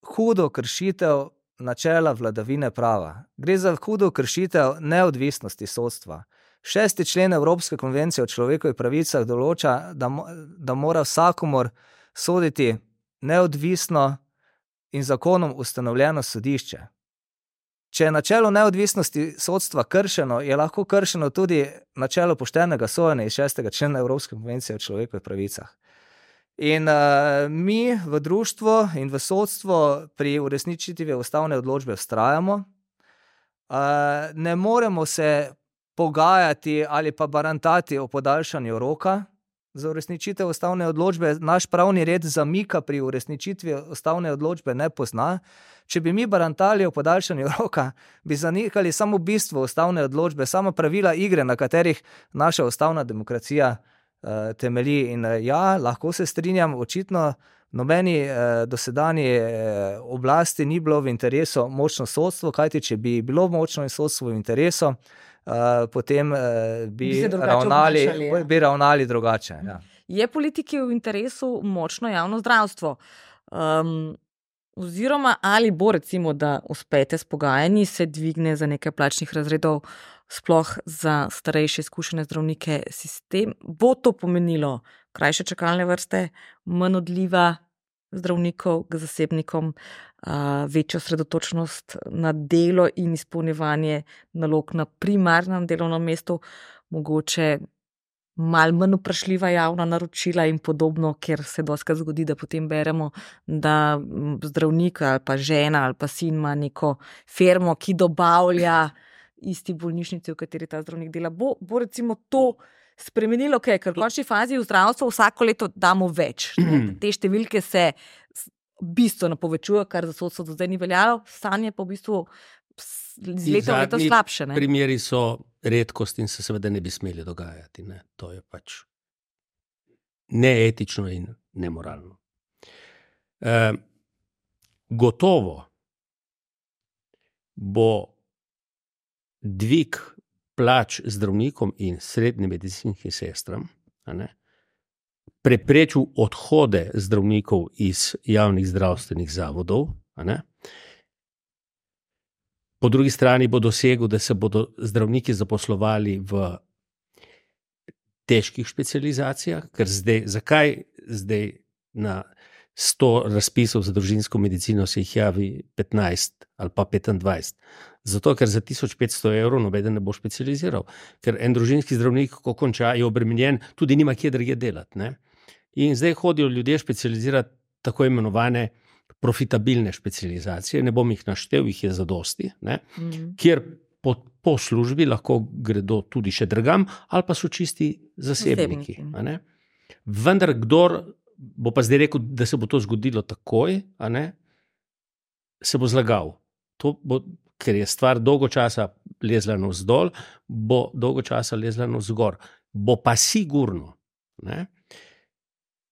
hudo kršitev načela vladavine prava. Gre za hudo kršitev neodvisnosti sodstva. Šesti člen Evropske konvencije o človekovih pravicah določa, da, da mora vsakomur soditi neodvisno in zakonom ustanovljeno sodišče. Če je načelo neodvisnosti sodstva kršeno, je lahko kršeno tudi načelo poštenega sojenja iz šestega člena Evropske konvencije o človekovih pravicah. In uh, mi v društvu in v sodstvu pri uresničitvi ustavne odločbe vztrajamo. Uh, ne moremo se pogajati ali pa barantati o podaljšanju roka za uresničitev ustavne odločbe. Naš pravni red zamika pri uresničitvi ustavne odločbe ne pozna. Če bi mi barantali o podaljšanju roka, bi zanikali samo bistvo ustavne odločbe, samo pravila igre, na katerih naša ustavna demokracija uh, temelji. In uh, ja, lahko se strinjam, očitno Nobeni eh, dosedanji eh, oblasti ni bilo v interesu močno sodstvo, kajti če bi bilo močno sodstvo v interesu, eh, potem eh, bi, Bi se drugače ravnali, obnašali, ja. bi ravnali drugače. Ja. Je politiki v interesu močno javno zdravstvo? Um, oziroma, ali bo recimo, da uspete s pogajanji, se dvigne za nekaj plačnih razredov, sploh za starejše izkušene zdravnike sistem? Bo to pomenilo krajše čakalne vrste, manj odliva zdravnikov k zasebnikom, uh, večjo sredotočnost na delo in izpolnjevanje nalog na primarnem delovnem mestu, mogoče malo manj vprašljiva javna naročila in podobno, ker se dostikrat zgodi, da potem beremo, da zdravnik ali pa žena ali pa sin ima neko firmo, ki dobavlja isti bolnišnici, v kateri ta zdravnik dela. Bo, bo recimo to spremenilo, kaj, ker v končni fazi v zdravstvo vsako leto damo več. Ne? Te številke se bistveno povečujejo, kar za sodstvo do zdaj ni veljalo, stanje pa v bistvu z leta v leto slabše. Ne? Primeri so redkost in se seveda ne bi smeli dogajati. Ne? To je pač neetično in nemoralno. E, gotovo bo dvig plač zdravnikom in srednjim medicinskim sestram, a ne, preprečil odhode zdravnikov iz javnih zdravstvenih zavodov, a ne. Po drugi strani bo dosegel, da se bodo zdravniki zaposlovali v težkih specializacijah, ker zdaj, zakaj zdaj na sto razpisov za družinsko medicino se jih javi petnajst ali pa petindvajset? Zato, ker za tisoč petsto evrov nobeden ne bo specializiral. Ker en družinski zdravnik, ko konča, je obremenjen, tudi nima kje drugje delati. Ne? In zdaj hodijo ljudje specializirati tako imenovane profitabilne specializacije, ne bom jih naštel, jih je zadosti, ne? Mm-hmm. Kjer po, po službi lahko gredo tudi še drugam, ali pa so čisti zasebniki. A ne? Vendar kdor bo pa zdaj rekel, da se bo to zgodilo takoj, a ne, se bo zlagal. To bo, ker je stvar dolgo časa lezla navzdol, bo dolgo časa lezla navzgor. Bo pa sigurno, ne,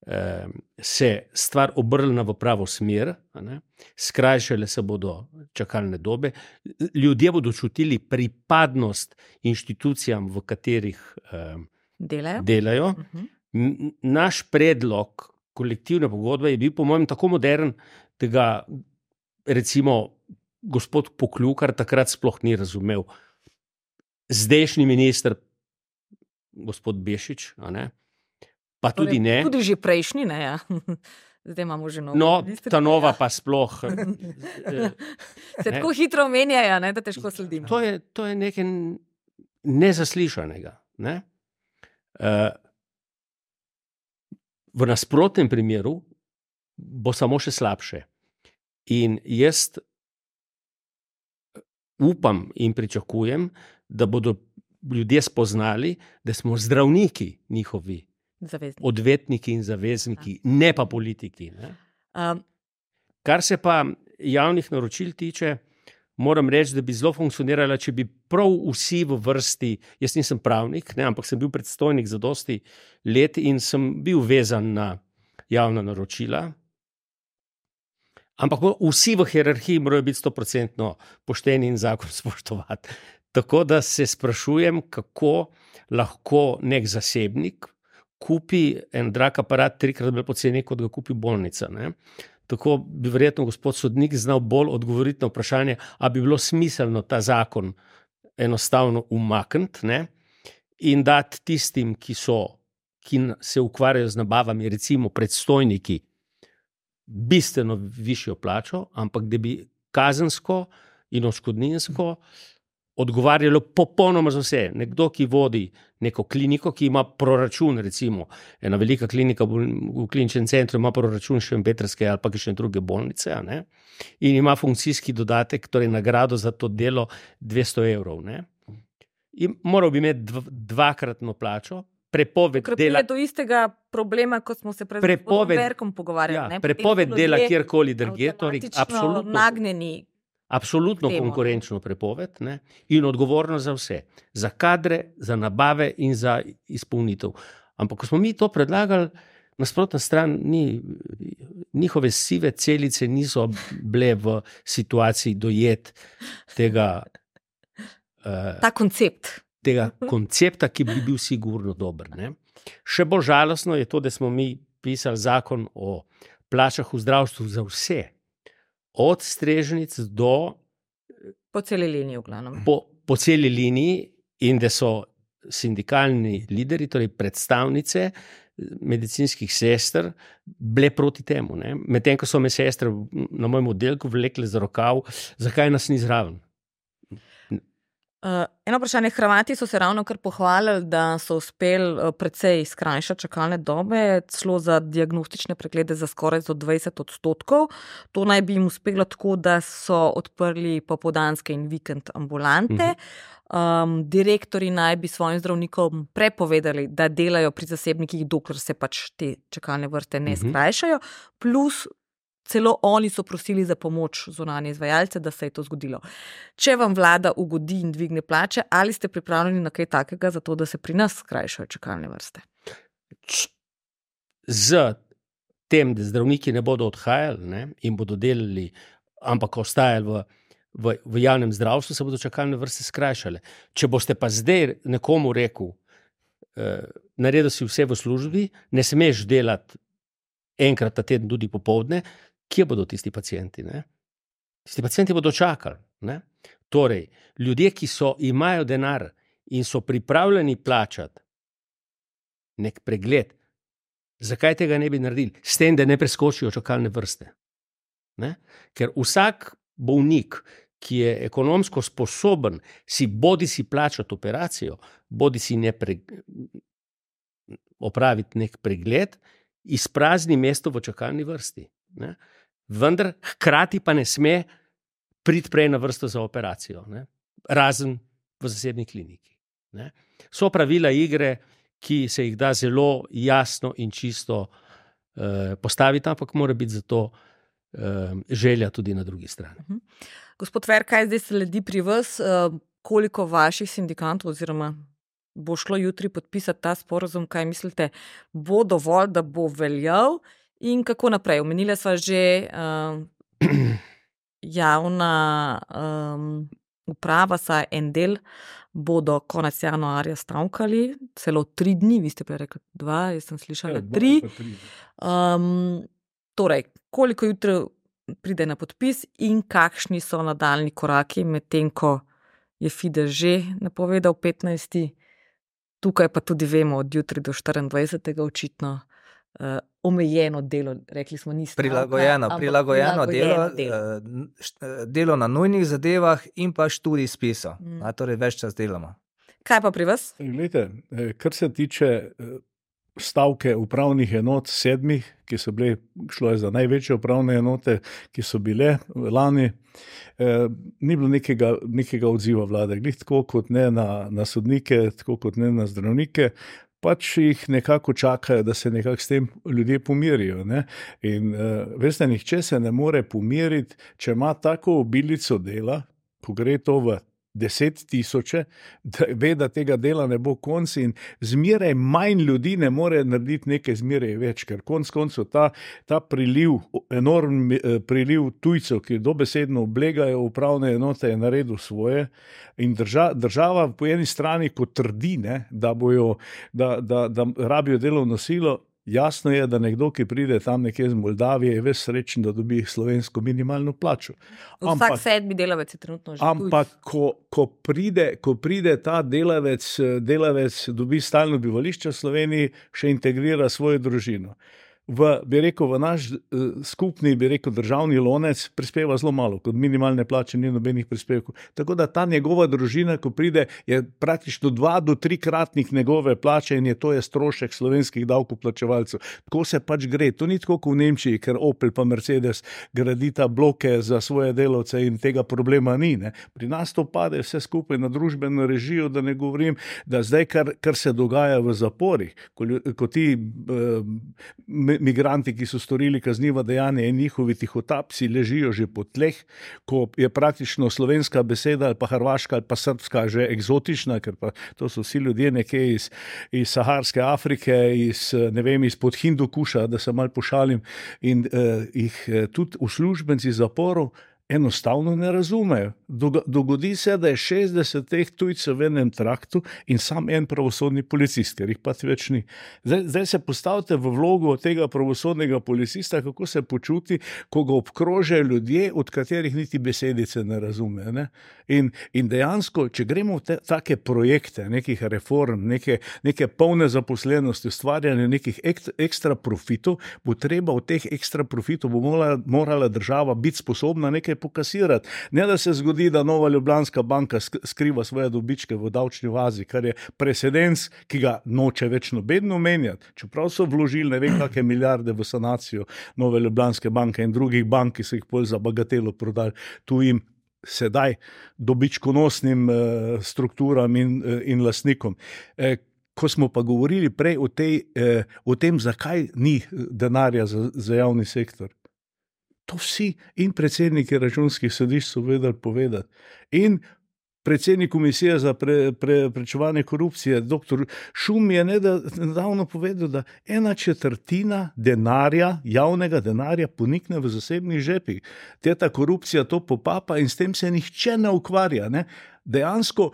eh, se stvar obrnila v pravo smer, a ne, skrajšale se bodo čakalne dobe, ljudje bodo čutili pripadnost inštitucijam, v katerih eh, delajo. delajo. Uh-huh. Naš predlog kolektivne pogodbe je bil po mojem tako modern, da ga recimo gospod Poklukar takrat sploh ni razumel. Zdajšnji minister, gospod Bešič, a ne, pa torej, tudi ne. Tudi že prejšnji, ne, ja. Zdaj imamo že novo. No, ta nova pa sploh. Se tako hitro omenjajo, ne, da težko sledim. To je, to je nekaj nezaslišanega. Ne? Uh, V nasprotnem primeru bo samo še slabše. In jaz upam in pričakujem, da bodo ljudje spoznali, da smo zdravniki njihovi, zavezniki. Odvetniki in zavezniki, ja. Ne pa politiki. Ne? Um. Kar se pa javnih naročil tiče, moram reči, da bi zelo funkcionirala, če bi prav vsi v vrsti, jaz nisem pravnik, ne, ampak sem bil predstojnik za dosti let in sem bil vezan na javna naročila. Ampak vsi v hierarhiji morajo biti sto procentno pošteni in zakon spoštovati. Tako da se sprašujem, kako lahko nek zasebnik kupi en drag aparat trikrat bolj poceni, kot ga kupi bolnica, ne. Tako bi verjetno gospod sodnik znal bolj odgovoriti na vprašanje, a bi bilo smiselno ta zakon enostavno umakniti, ne, in dati tistim, ki so, ki se ukvarjajo z nabavami, recimo predstojniki, bistveno višjo plačo, ampak da bi kazensko in odškodninsko odgovarjalo popolnoma za vse. Nekdo, ki vodi neko kliniko, ki ima proračun, recimo ena velika klinika v kliničnem centru ima proračun šempetrske ali pa še druge bolnice, a ne? In ima funkcijski dodatek, torej nagrado za to delo dvesto evrov. Ne? In moral bi imeti dv- dvakratno plačo, prepoved dela... do istega problema, kot smo se pred prepoved, Verkom pogovarjali. Ja, ne? prepoved dela kjerkoli drugje, torej absolutno... nagnjeni. Absolutno temo. Konkurenčno prepoved, ne? In odgovorno za vse. Za kadre, za nabave in za izpolnitev. Ampak ko smo mi to predlagali, nasprotna stran ni, njihove sive celice niso bile v situaciji dojet tega, uh, Ta koncept. tega koncepta, ki bi bil sigurno dober. Ne? Še bolj žalostno je to, da smo mi pisali zakon o plačah v zdravstvu za vse, od strežnic do Po celi liniji v glavnem. po, po celi liniji, in da so sindikalni lideri, torej predstavnice medicinskih sester, bile proti temu. Ne? Medtem, ko so me sestre na mojem oddelku vlekle za rokav, zakaj nas ni zraven? Uh, eno vprašanje, Hrvati so se ravno kar pohvalili, da so uspeli uh, precej skrajšati čakalne dobe, celo za diagnostične preglede za skoraj za dvajset odstotkov. To naj bi jim uspelo tako, da so odprli popoldanske in vikend ambulante. Um, direktori naj bi svojim zdravnikom prepovedali, da delajo pri zasebnikih, dokler se pač te čakalne vrste ne skrajšajo, plus celo oni so prosili za pomoč zunanje izvajalce, da se je to zgodilo. Če vam vlada ugodi in dvigne plače, ali ste pripravljeni na kaj takega, zato da se pri nas skrajšajo čakalne vrste? Z tem, da zdravniki ne bodo odhajali, ne, in bodo delali, ampak ostajali v, v, v javnem zdravstvu, se bodo čakalne vrste skrajšale. Če boste pa zdaj nekomu rekel, eh, naredil si vse v službi, ne smeš delati enkrat na teden tudi popoldne, kje bodo tisti pacienti? Ne? Tisti pacienti bodo čakali. Ne? Torej, ljudje, ki so, imajo denar in so pripravljeni plačati nek pregled, zakaj tega ne bi naredili? S tem, da ne preskočijo čakalne vrste. Ne? Ker vsak bolnik, ki je ekonomsko sposoben si bodi si plačati operacijo, bodi si ne pre... opraviti nek pregled, izprazni mesto v čakalni vrsti. Ne? Vendar hkrati pa ne sme priti prej na vrsto za operacijo, ne? Razen v zasebni kliniki. Ne? So pravila igre, ki se jih da zelo jasno in čisto uh, postaviti, ampak mora biti za to uh, želja tudi na drugi strani. Uh-huh. Gospod Ver, kaj zdaj sledi pri vas? Uh, koliko vaših sindikantov oziroma bo šlo jutri podpisati ta sporazum, kaj mislite, bo dovolj, da bo veljal in kako naprej? Omenila sva že uh, javna um, uprava, saj en del bodo konec januarja stavkali, celo tri dni, vi ste pa rekli dva, jaz sem slišala ja, tri. Um, torej, koliko jutri pride na podpis in kakšni so nadaljni koraki, medtem ko je Fides že napovedal petnajsti Tukaj pa tudi vemo od jutri do štiriindvajsetega očitno uh, omejeno delo, rekli smo, ni stavka. Prilagojeno, prilagojeno, prilagojeno delo, delo. Uh, delo na nujnih zadevah in pa študij spisov. Mm. A, torej več čas delamo. Kaj pa pri vas? Glede, kar se tiče stavke upravnih enot sedmih, ki so bile, šlo je za največje upravne enote, ki so bile lani, eh, ni bilo nekega, nekega odziva vlade, glih tako kot ne na, na sodnike, tako kot ne na zdravnike, pač jih nekako čakajo, da se nekako s tem ljudje pomirijo. Ne? In eh, veste, nihče se ne more pomiriti, če ima tako obilico dela, ko gre to v deset tisoče, da ve, da tega dela ne bo konc in zmeraj manj ljudi ne more narediti nekaj zmeraj več, ker konc koncev ta, ta priliv, enorm priliv tujcev, ki dobesedno oblegajo upravne enote, je naredil svoje in drža, država po eni strani, ko trdi, ne, da, bojo, da, da, da rabijo delovno silo, jasno je, da nekdo, ki pride tam nekje iz Moldavije, je ves srečen, da dobi slovensko minimalno plačo. Ampak, vsak sedmi delavec je trenutno že ampak ko, ko, pride, ko pride ta delavec, delavec dobi stalno bivališče v Sloveniji, še integrira svojo družino. V, bi rekel, v naš uh, skupni, bi rekel, državni lonec prispeva zelo malo, kot minimalne plače ni nobenih prispevkov. Tako da ta njegova družina, ko pride, je praktično dva do trikratnik njegove plače in je to je strošek slovenskih davkoplačevalcev. Tako se pač gre. To ni tako kot v Nemčiji, ker Opel pa Mercedes gradita bloke za svoje delavce in tega problema ni. Ne? Pri nas to pade vse skupaj na družbeno režijo, da ne govorim, da zdaj, kar, kar se dogaja v zaporih, ko, ko ti uh, migranti, ki so storili kazniva dejanja in njihovi tihotapci ležijo že po tleh, ko je praktično slovenska beseda ali pa hrvaška ali pa srpska že eksotična, ker pa to so vsi ljudje nekje iz, iz Saharske Afrike, iz, ne vem, izpod Hindukuša, da se malo pošalim, in uh, jih uh, tudi uslužbenci zaporov enostavno ne razumejo. Dogodi se, da je šestdeset teh tujcev v enem traktu in sam en pravosodni policist, ker jih pa več ni. Zdaj, zdaj se postavite v vlogo tega pravosodnega policista, kako se počuti, ko ga obkrožajo ljudje, od katerih niti besedice ne razume. Ne? In, in dejansko, če gremo v te, take projekte, nekih reform, neke, neke polne zaposlenosti, ustvarjanje nekih ek, ekstra profitov, bo treba od teh ekstra profitov bo morala, morala država biti sposobna nekaj pokasirati. Ne, da se zgodi, da Nova Ljubljanska banka skriva svoje dobičke v davčni oazi, kar je precedens, ki ga noče več noben omenjati. Čeprav so vložili ne vem kakšne milijarde v sanacijo Nove Ljubljanske banke in drugih bank, ki so jih bolj za bagatelo prodali tujim sedaj dobičkonosnim uh, strukturam in, uh, in lastnikom. Eh, Ko smo pa govorili prej o, tej, eh, o tem, zakaj ni denarja za, za javni sektor. To vsi in predsedniki računskih sodišč so vedeli povedati. In predsednik komisije za pre, pre, prečevanje korupcije, doktor Šum je nedavno povedal, da ena četrtina denarja, javnega denarja ponikne v zasebnih žepih. Teta korupcija to popapa in s tem se nihče ne ukvarja, ne? Dejansko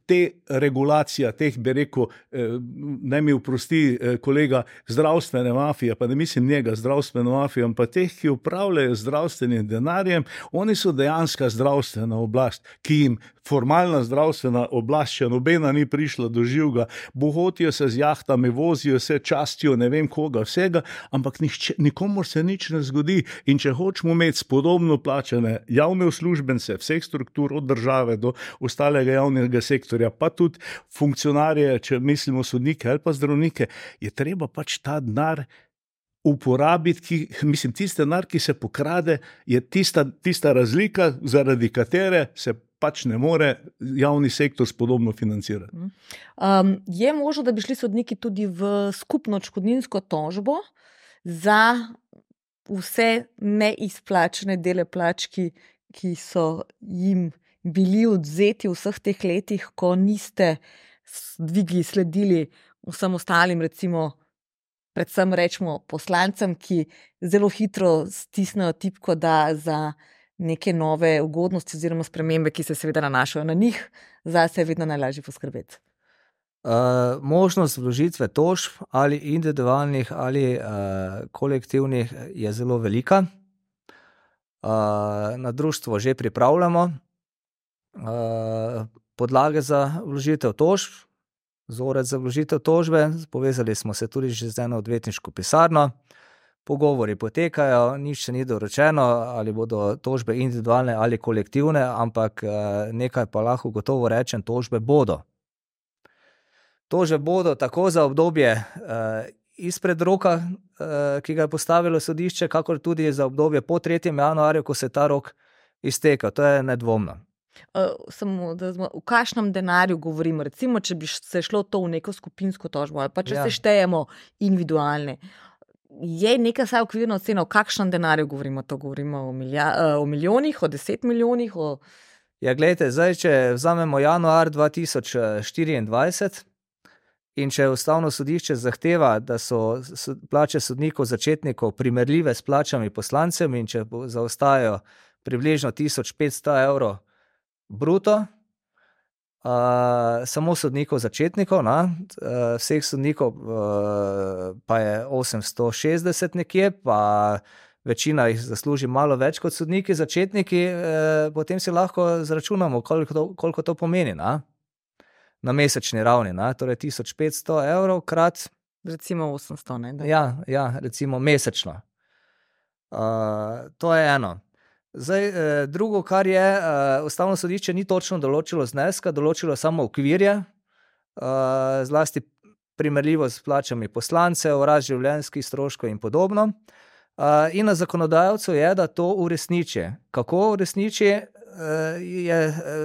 te regulacija, teh bi rekel, naj mi oprosti kolega, zdravstvene mafije, pa ne mislim njega, zdravstveno mafijo, pa teh, ki upravljajo zdravstvenim denarjem, oni so dejanska zdravstvena oblast, ki jim formalna zdravstvena oblast, še nobena ni prišla do živega, bohotijo se z jahtami, vozijo se, častijo ne vem koga, vsega, ampak nihče, nikomor se nič ne zgodi. In če hočemo imeti spodobno plačane javne uslužbence vseh struktur, od države do ostalega javnega sektorja, pa tudi funkcionarje, če mislimo sodnike ali pa zdravnike, je treba pač ta denar uporabiti, ki, mislim, tiste denar, ki se pokrade, je tista, tista razlika, zaradi katere se pač ne more javni sektor spodobno financirati. Um, je možno, da bi šli sodniki tudi v skupno odškodninsko tožbo za vse neizplačene dele plač, ki, ki so jim bili odzeti v vseh teh letih, ko niste dvigli, sledili vsem ostalim, recimo, predvsem rečemo poslancem, ki zelo hitro stisnejo tipko, da za neke nove ugodnosti oziroma spremembe, ki se seveda nanašajo na njih, zase je vedno najlažje poskrbeti. Uh, možnost vložitve tožb ali individualnih ali uh, kolektivnih je zelo velika. Uh, na društvo že pripravljamo uh, podlage za vložitev tožb, vzorec za vložitev tožbe, povezali smo se tudi že z eno odvetniško pisarno. Pogovori potekajo, nič še ni doročeno, ali bodo tožbe individualne ali kolektivne, ampak nekaj pa lahko gotovo rečem, tožbe bodo. Tožbe bodo tako za obdobje eh, izpred roka, eh, ki ga je postavilo sodišče, kakor tudi za obdobje po tretjem januarju, ko se ta rok izteka. To je nedvomno. Uh, samo, da smo, v kakšnem denarju govorimo, recimo, če bi se šlo to v neko skupinsko tožbo, ali pa če ja. se štejemo individualne. Je neka saj okvirna ocena, o kakšnem denarju govorimo? To govorimo o, milja, o milijonih, o deset milijonih? O... Ja, gledajte, zdaj, če vzamemo januar dva tisoč štiriindvajset in če ustavno sodišče zahteva, da so plače sodnikov začetnikov primerljive s plačami poslancev in če zaostajajo približno tisoč petsto evrov bruto, Uh, samo sodnikov začetnikov, na, uh, vseh sodnikov uh, pa je osemsto šestdeset nekje, pa večina jih zasluži malo več kot sodniki začetniki, uh, potem si lahko zračunamo, koliko to, koliko to pomeni, na, na mesečni ravni, na, torej tisoč petsto evrov krat recimo osemsto, ne? Da. Ja, ja, recimo mesečno. Uh, to je eno. Zdaj, drugo, kar je, ustavno sodišče ni točno določilo zneska, določilo samo okvirje, zlasti primerljivo s plačami poslancev, rast življenjskih stroškov in podobno. In na zakonodajalcu je, da to uresniči. Kako uresniči? je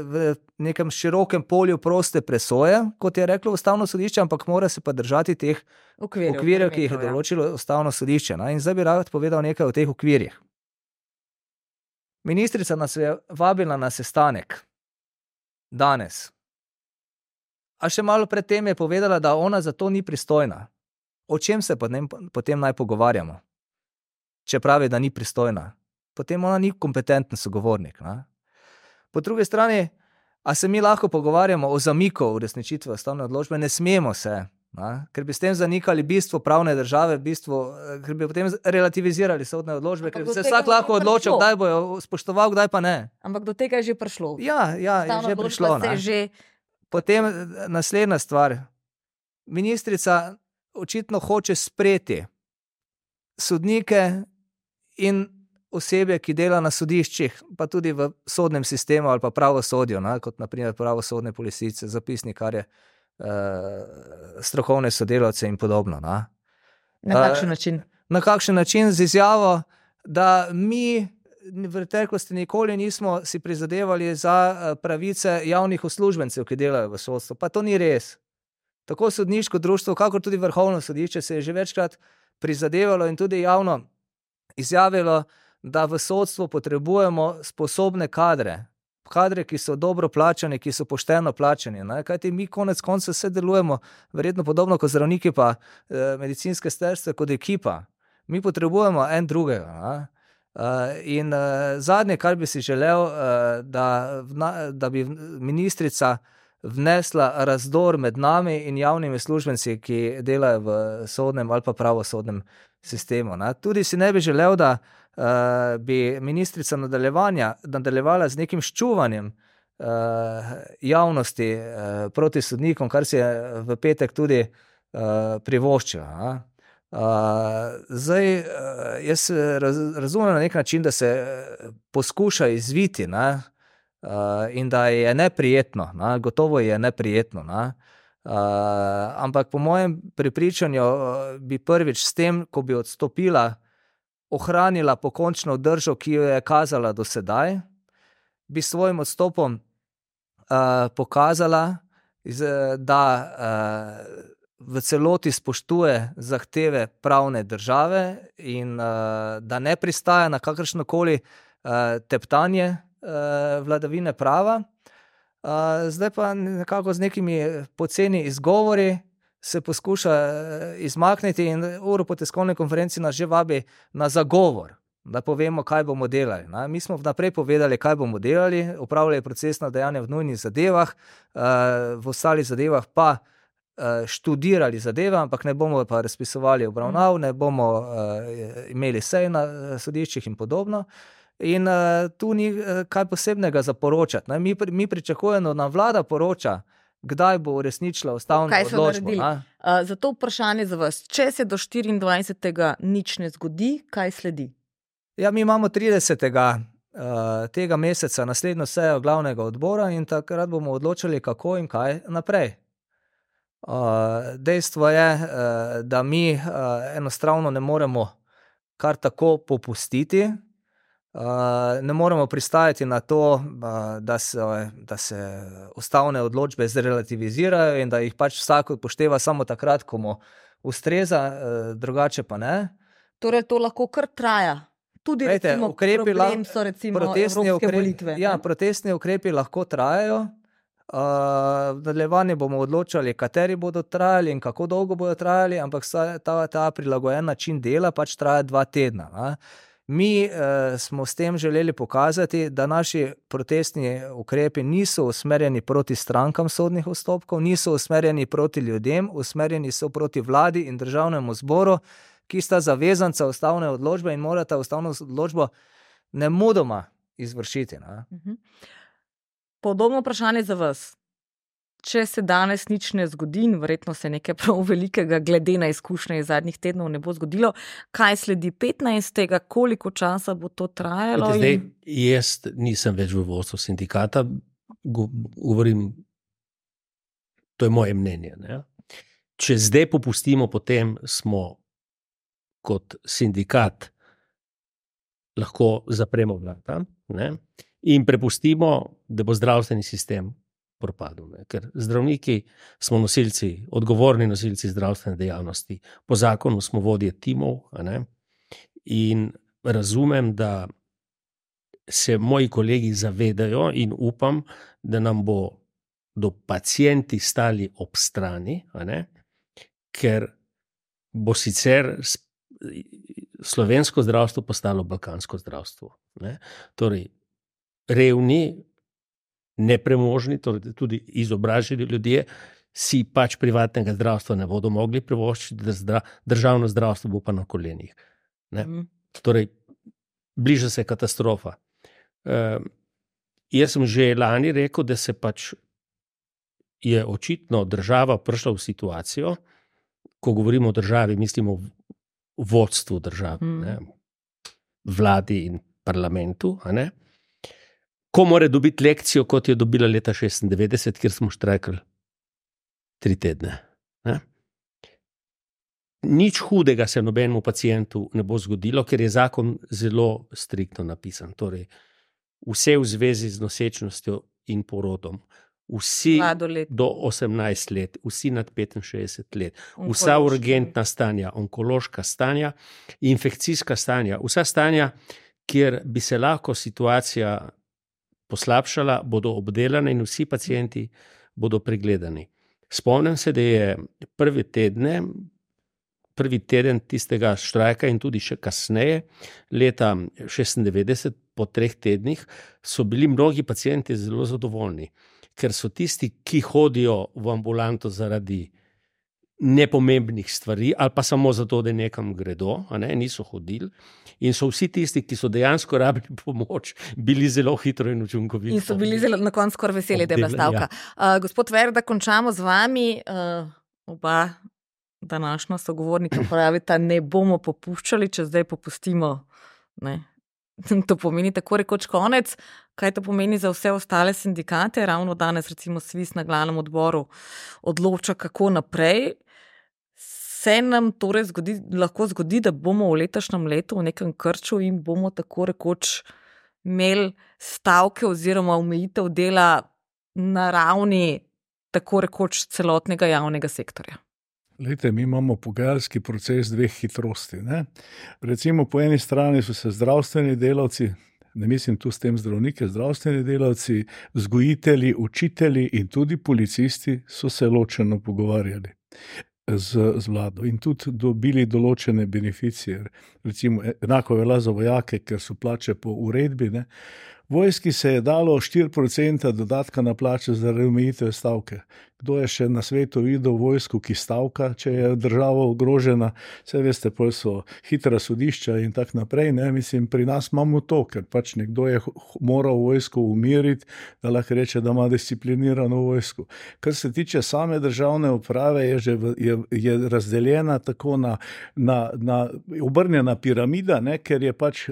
v nekem širokem polju proste presoje, kot je reklo Ustavno sodišče, ampak mora se pa držati teh Okvirjev, okvirjev, ki jih je parametrov, ja. določilo Ustavno sodišče. No? In zdaj bi rad povedal nekaj o teh okvirjih. Ministrica nas je vabila na sestanek danes. A še malo pred tem je povedala, da ona za to ni pristojna. O čem se potem, potem naj pogovarjamo? Če pravi, da ni pristojna. Potem ona ni kompetenten sogovornik. Ne? Po drugi strani, a se mi lahko pogovarjamo o zamiku uresničitve ustavne odločbe? Ne smemo se, ne? Ker bi s tem zanikali bistvo pravne države, bistvo, ker bi potem relativizirali sodne odločbe, ker bi se vsak lahko odločil, kdaj bo jo spoštoval, kdaj pa ne. Ampak do tega je že prišlo. Ja, ja, je že prišlo. Se že... Potem naslednja stvar. Ministrica očitno hoče spreti sodnike in osebe, ki dela na sodiščih, pa tudi v sodnem sistemu ali pa pravosodju, ne, kot naprimer pravosodne policice, zapisnikarje, eh, strokovne sodelavce in podobno. Ne. Na kakšen način? Na kakšen način z izjavo, da mi v preteklosti nikoli nismo si prizadevali za pravice javnih uslužbencev, ki delajo v sodstvu. Pa to ni res. Tako sodniško društvo, kakor tudi Vrhovno sodišče se je že večkrat prizadevalo in tudi javno izjavilo, da v sodstvu potrebujemo sposobne kadre. Kadre, ki so dobro plačani, ki so pošteno plačani. Ne? Kajti mi konec konca vse delujemo, verjetno podobno kot zdravniki pa eh, medicinske sestre kot ekipa. Mi potrebujemo en drugega. Ne? Uh, in uh, zadnje, kar bi si želel, uh, da, vna, da bi ministrica vnesla razdor med nami in javnimi službenci, ki delajo v sodnem ali pa pravosodnem sistemu. Ne. Tudi si ne bi želel, da uh, bi ministrica nadaljevala z nekim ščuvanjem uh, javnosti uh, proti sodnikom, kar si je v petek tudi uh, privoščila. Ne. Uh, zdaj, uh, jaz raz, razumem na nek način, da se poskuša izviti, ne, uh, in da je neprijetno, ne, gotovo je neprijetno, ne, uh, ampak po mojem prepričanju bi prvič s tem, ko bi odstopila, ohranila pokončno držo, ki jo je kazala do sedaj, bi s svojim odstopom uh, pokazala, da uh, v celoti spoštuje zahteve pravne države in uh, da ne pristaja na kakršnokoli uh, teptanje uh, vladavine prava. Uh, zdaj pa nekako z nekimi poceni izgovori se poskuša uh, izmakniti in uro po tiskovni konferenci nas že vabi na zagovor, da povemo, kaj bomo delali. Ne? Mi smo vnaprej povedali, kaj bomo delali, upravljali procesna dejanja v nujnih zadevah, uh, v ostalih zadevah pa študirali zadeve, ampak ne bomo pa razpisovali obravnav, ne bomo uh, imeli sej na sodiščih in podobno. In uh, tu ni uh, kaj posebnega za poročati. Ne? Mi, mi pričakujemo, da nam vlada poroča, kdaj bo uresničila ustavno odločbo. Uh, zato vprašanje za vas. Če se do štiriindvajsetega nič ne zgodi, kaj sledi? Ja, mi imamo tridesetega Uh, tega meseca naslednjo sejo glavnega odbora in takrat bomo odločili, kako in kaj naprej. Uh, dejstvo je, uh, da mi uh, enostavno ne moremo kar tako popustiti, uh, ne moremo pristajati na to, uh, da, se, da se ustavne odločbe zrelativizirajo in da jih pač vsak upošteva samo takrat, ko mu ustreza, uh, drugače pa ne. Torej to lahko kar traja. Tudi Vejte, recimo ukrepi problem so recimo evropske ukrepi, volitve. Ja, protestni ukrepi lahko trajajo. Uh, v nadaljevanju bomo odločali, kateri bodo trajali in kako dolgo bodo trajali, ampak ta, ta prilagojen način dela pač traja dva tedna. Ne? Mi uh, smo s tem želeli pokazati, da naši protestni ukrepi niso usmerjeni proti strankam sodnih postopkov, niso usmerjeni proti ljudem, usmerjeni so proti vladi in državnemu zboru, ki sta zavezanca ustavne odločbe in morata ustavno odločbo nemudoma izvršiti. Ne? Uh-huh. Podobno vprašanje za vas. Če se danes nič ne zgodi in verjetno se nekaj prav velikega glede na izkušnje iz zadnjih tednov ne bo zgodilo, kaj sledi petnajstega, koliko časa bo to trajalo? Zdaj, in... Jaz nisem več v vodstvu sindikata, govorim, to je moje mnenje. Ne? Če zdaj popustimo, potem smo kot sindikat lahko zapremo vrata, ne? in prepustimo, da bo zdravstveni sistem propadel. Ne? Ker zdravniki smo nosilci, odgovorni nosilci zdravstvene dejavnosti. Po zakonu smo vodje timov, a ne? In razumem, da se moji kolegi zavedajo in upam, da nam bo do pacienti stali ob strani, a ne? Ker bo sicer slovensko zdravstvo postalo balkansko zdravstvo. Ne? Torej, revni, nepremožni, torej tudi izobraženi ljudje si pač privatnega zdravstva ne bodo mogli privoščiti, da zdra, državno zdravstvo bo pa na kolenih. Ne? Mm. Torej, bliža se katastrofa. Uh, jaz sem že lani rekel, da se pač je očitno država prišla v situacijo, ko govorimo o državi, mislimo o vodstvu države, mm. ne? Vladi in parlamentu, a ne? Ko mora dobiti lekcijo, kot je dobila leta šestindevetdeset, kjer smo štrajkali tri tedne. Ne? Nič hudega se nobenemu pacientu ne bo zgodilo, ker je zakon zelo striktno napisan. Torej, vse v zvezi z nosečnostjo in porodom. Vsi do osemnajst let, vsi nad petinšestdeset let, vsa urgentna stanja, onkološka stanja, infekcijska stanja, vsa stanja, kjer bi se lahko situacija poslabšala, bodo obdelane in vsi pacienti bodo pregledani. Spomnim se, da je prvi tedne, prvi teden tistega štrajka in tudi še kasneje, leta šestindevetdeset, po treh tednih, so bili mnogi pacienti zelo zadovoljni, ker so tisti, ki hodijo v ambulanto zaradi nepomembnih stvari ali pa samo zato, da nekam gredo, a ne, niso hodili, in so vsi tisti, ki so dejansko rabili pomoč, bili zelo hitro in učinkoviti. In so bili zelo na koncu skoraj veseli, da je bila stavka. Ja. Uh, gospod Ver, da končamo z vami, uh, oba današnja sogovornika pravita, ne bomo popuščali, če zdaj popustimo, ne. To pomeni tako rekoč konec. Kaj to pomeni za vse ostale sindikate? Ravno danes recimo SVIZ na glavnem odboru odloča, kako naprej. Se nam torej zgodi, lahko zgodi, da bomo v letošnjem letu v nekem krču in bomo tako rekoč imeli stavke oziroma omejitev dela na ravni tako rekoč celotnega javnega sektorja. Lejte, mi imamo pogajalski proces dveh hitrosti. Ne? Recimo po eni strani so se zdravstveni delavci, ne mislim tu s tem zdravnike, zdravstveni delavci, vzgojitelji, učitelji in tudi policisti so se ločeno pogovarjali z, z vlado in tudi dobili določene beneficije. Recimo enako velja za vojake, ker so plače po uredbi. Ne? Vojski se je dalo štiri procente dodatka na plače zaradi omejitve stavke. Kdo je še na svetu videl vojsko, ki stavka, če je država ogrožena? Vse veste, pol so hitra sodišča in tak naprej. Ne? Mislim, pri nas imamo to, ker pač nekdo je moral vojsko umiriti, da lahko reče, da ima disciplinirano vojsko. Kar se tiče same državne uprave, je, že, je, je razdeljena tako na, na, na obrnjena piramida, ne? Ker je pač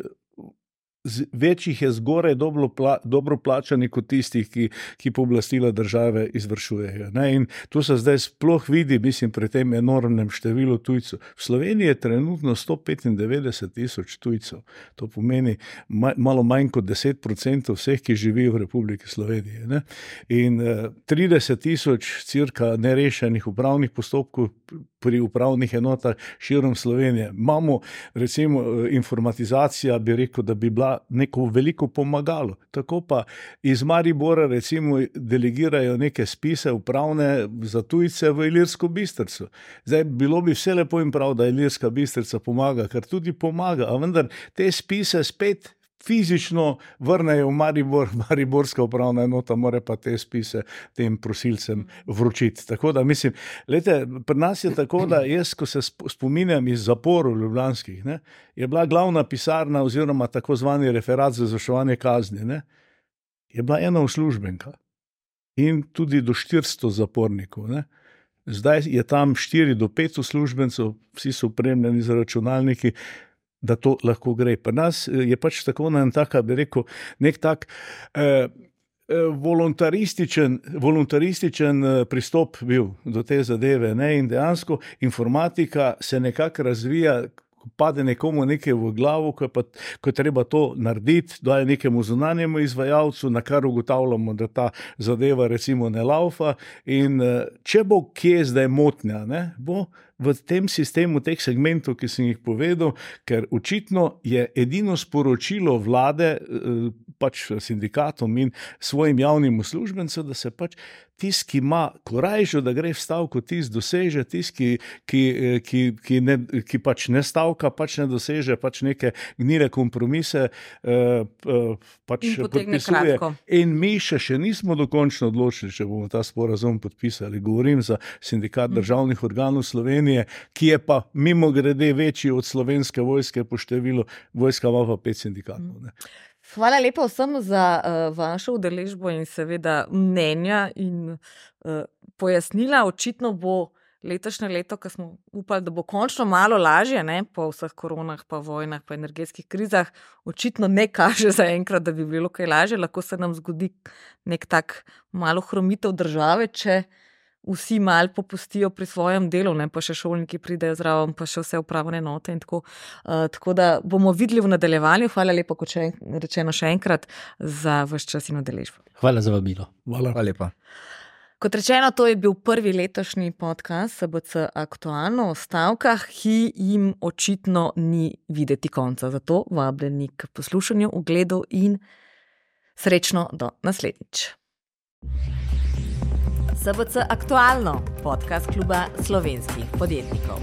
večjih je zgoraj dobro, pla, dobro plačani kot tistih, ki, ki pooblastila države izvršujejo. Ne? In tu se zdaj sploh vidi, mislim, pri tem enormnem številu tujcev. V Sloveniji je trenutno sto petindevetdeset tisoč tujcev. To pomeni ma, malo manj kot deset procentov vseh, ki živijo v Republiki Sloveniji. Ne? In eh, trideset tisoč cirka nerešenih upravnih postopkov pri upravnih enotah širom Slovenije. Imamo recimo informatizacija, bi rekel, da bi bila neko veliko pomagalo. Tako pa iz Maribora recimo delegirajo neke spise upravne za tujce v Ilirsko Bistrico. Zdaj, bilo bi vse lepo in prav, da Ilirska Bistrica pomaga, ker tudi pomaga, a vendar te spise spet fizično vrnejo v Maribor, Mariborska upravna enota mora pa te spise tem prosilcem vročiti. Tako da mislim, lejte, pri nas je tako, da jaz, ko se spominjam iz zaporov ljubljanskih, ne, je bila glavna pisarna oziroma tako zvani referat za izvrševanje kazni, ne, je bila ena uslužbenka in tudi do štiristo zapornikov, ne. Zdaj je tam štiri do pet uslužbencev, vsi so opremljeni z računalniki, da to lahko gre. Pri nas je pač tako na en taka, bi rekel, nek tak eh, voluntarističen, voluntarističen pristop bil do te zadeve, ne? In dejansko informatika se nekako razvija pade nekomu nekaj v glavo, ko je, pa, ko je treba to narediti, da je nekemu zunanjemu izvajalcu, na kar ugotavljamo, da ta zadeva recimo ne laufa in če bo kje zdaj motnja, ne, bo v tem sistemu, teh segmentov, ki sem jih povedal, ker očitno je edino sporočilo vlade pač sindikatom in svojim javnim uslužbencem, da se pač tisti, ki ima korajžo, da gre v stavko, tisti doseže, tisti, ki, ki, ki, ki, ne, ki pač ne stavka, pač ne doseže, pač neke gnile kompromise pač podpisuje. In mi še, še nismo dokončno odločili, če bomo ta sporazum podpisali. Govorim za Sindikat državnih organov Slovenije, ki je pa mimo grede večji od Slovenske vojske po številu, vojska ima pa pet sindikatov. Ne. Hvala lepa vsem za uh, vašo udeležbo in seveda mnenja in uh, pojasnila. Očitno bo letošnje leto, ko smo upali, da bo končno malo lažje, ne, po vseh koronah, pa vojnah, pa energetskih krizah, očitno ne kaže za enkrat, da bi bilo kaj lažje. Lahko se nam zgodi nek tak malo hromitev države, če vsi malo popustijo pri svojem delu, ne, pa še šolniki pridejo zraven, pa še vse upravne enote in tako. Uh, tako da bomo videli v nadaljevanju. Hvala lepa, kot še rečeno še enkrat, za vaš čas in udeležbo. Hvala za vabilo. Hvala. Hvala lepa. Kot rečeno, to je bil prvi letošnji podcast S B C Aktualno o stavkah, ki jim očitno ni videti konca. Zato vabljeni k poslušanju, ogledu in srečno do naslednjič. S B C Aktualno, podcast kluba slovenskih podjetnikov.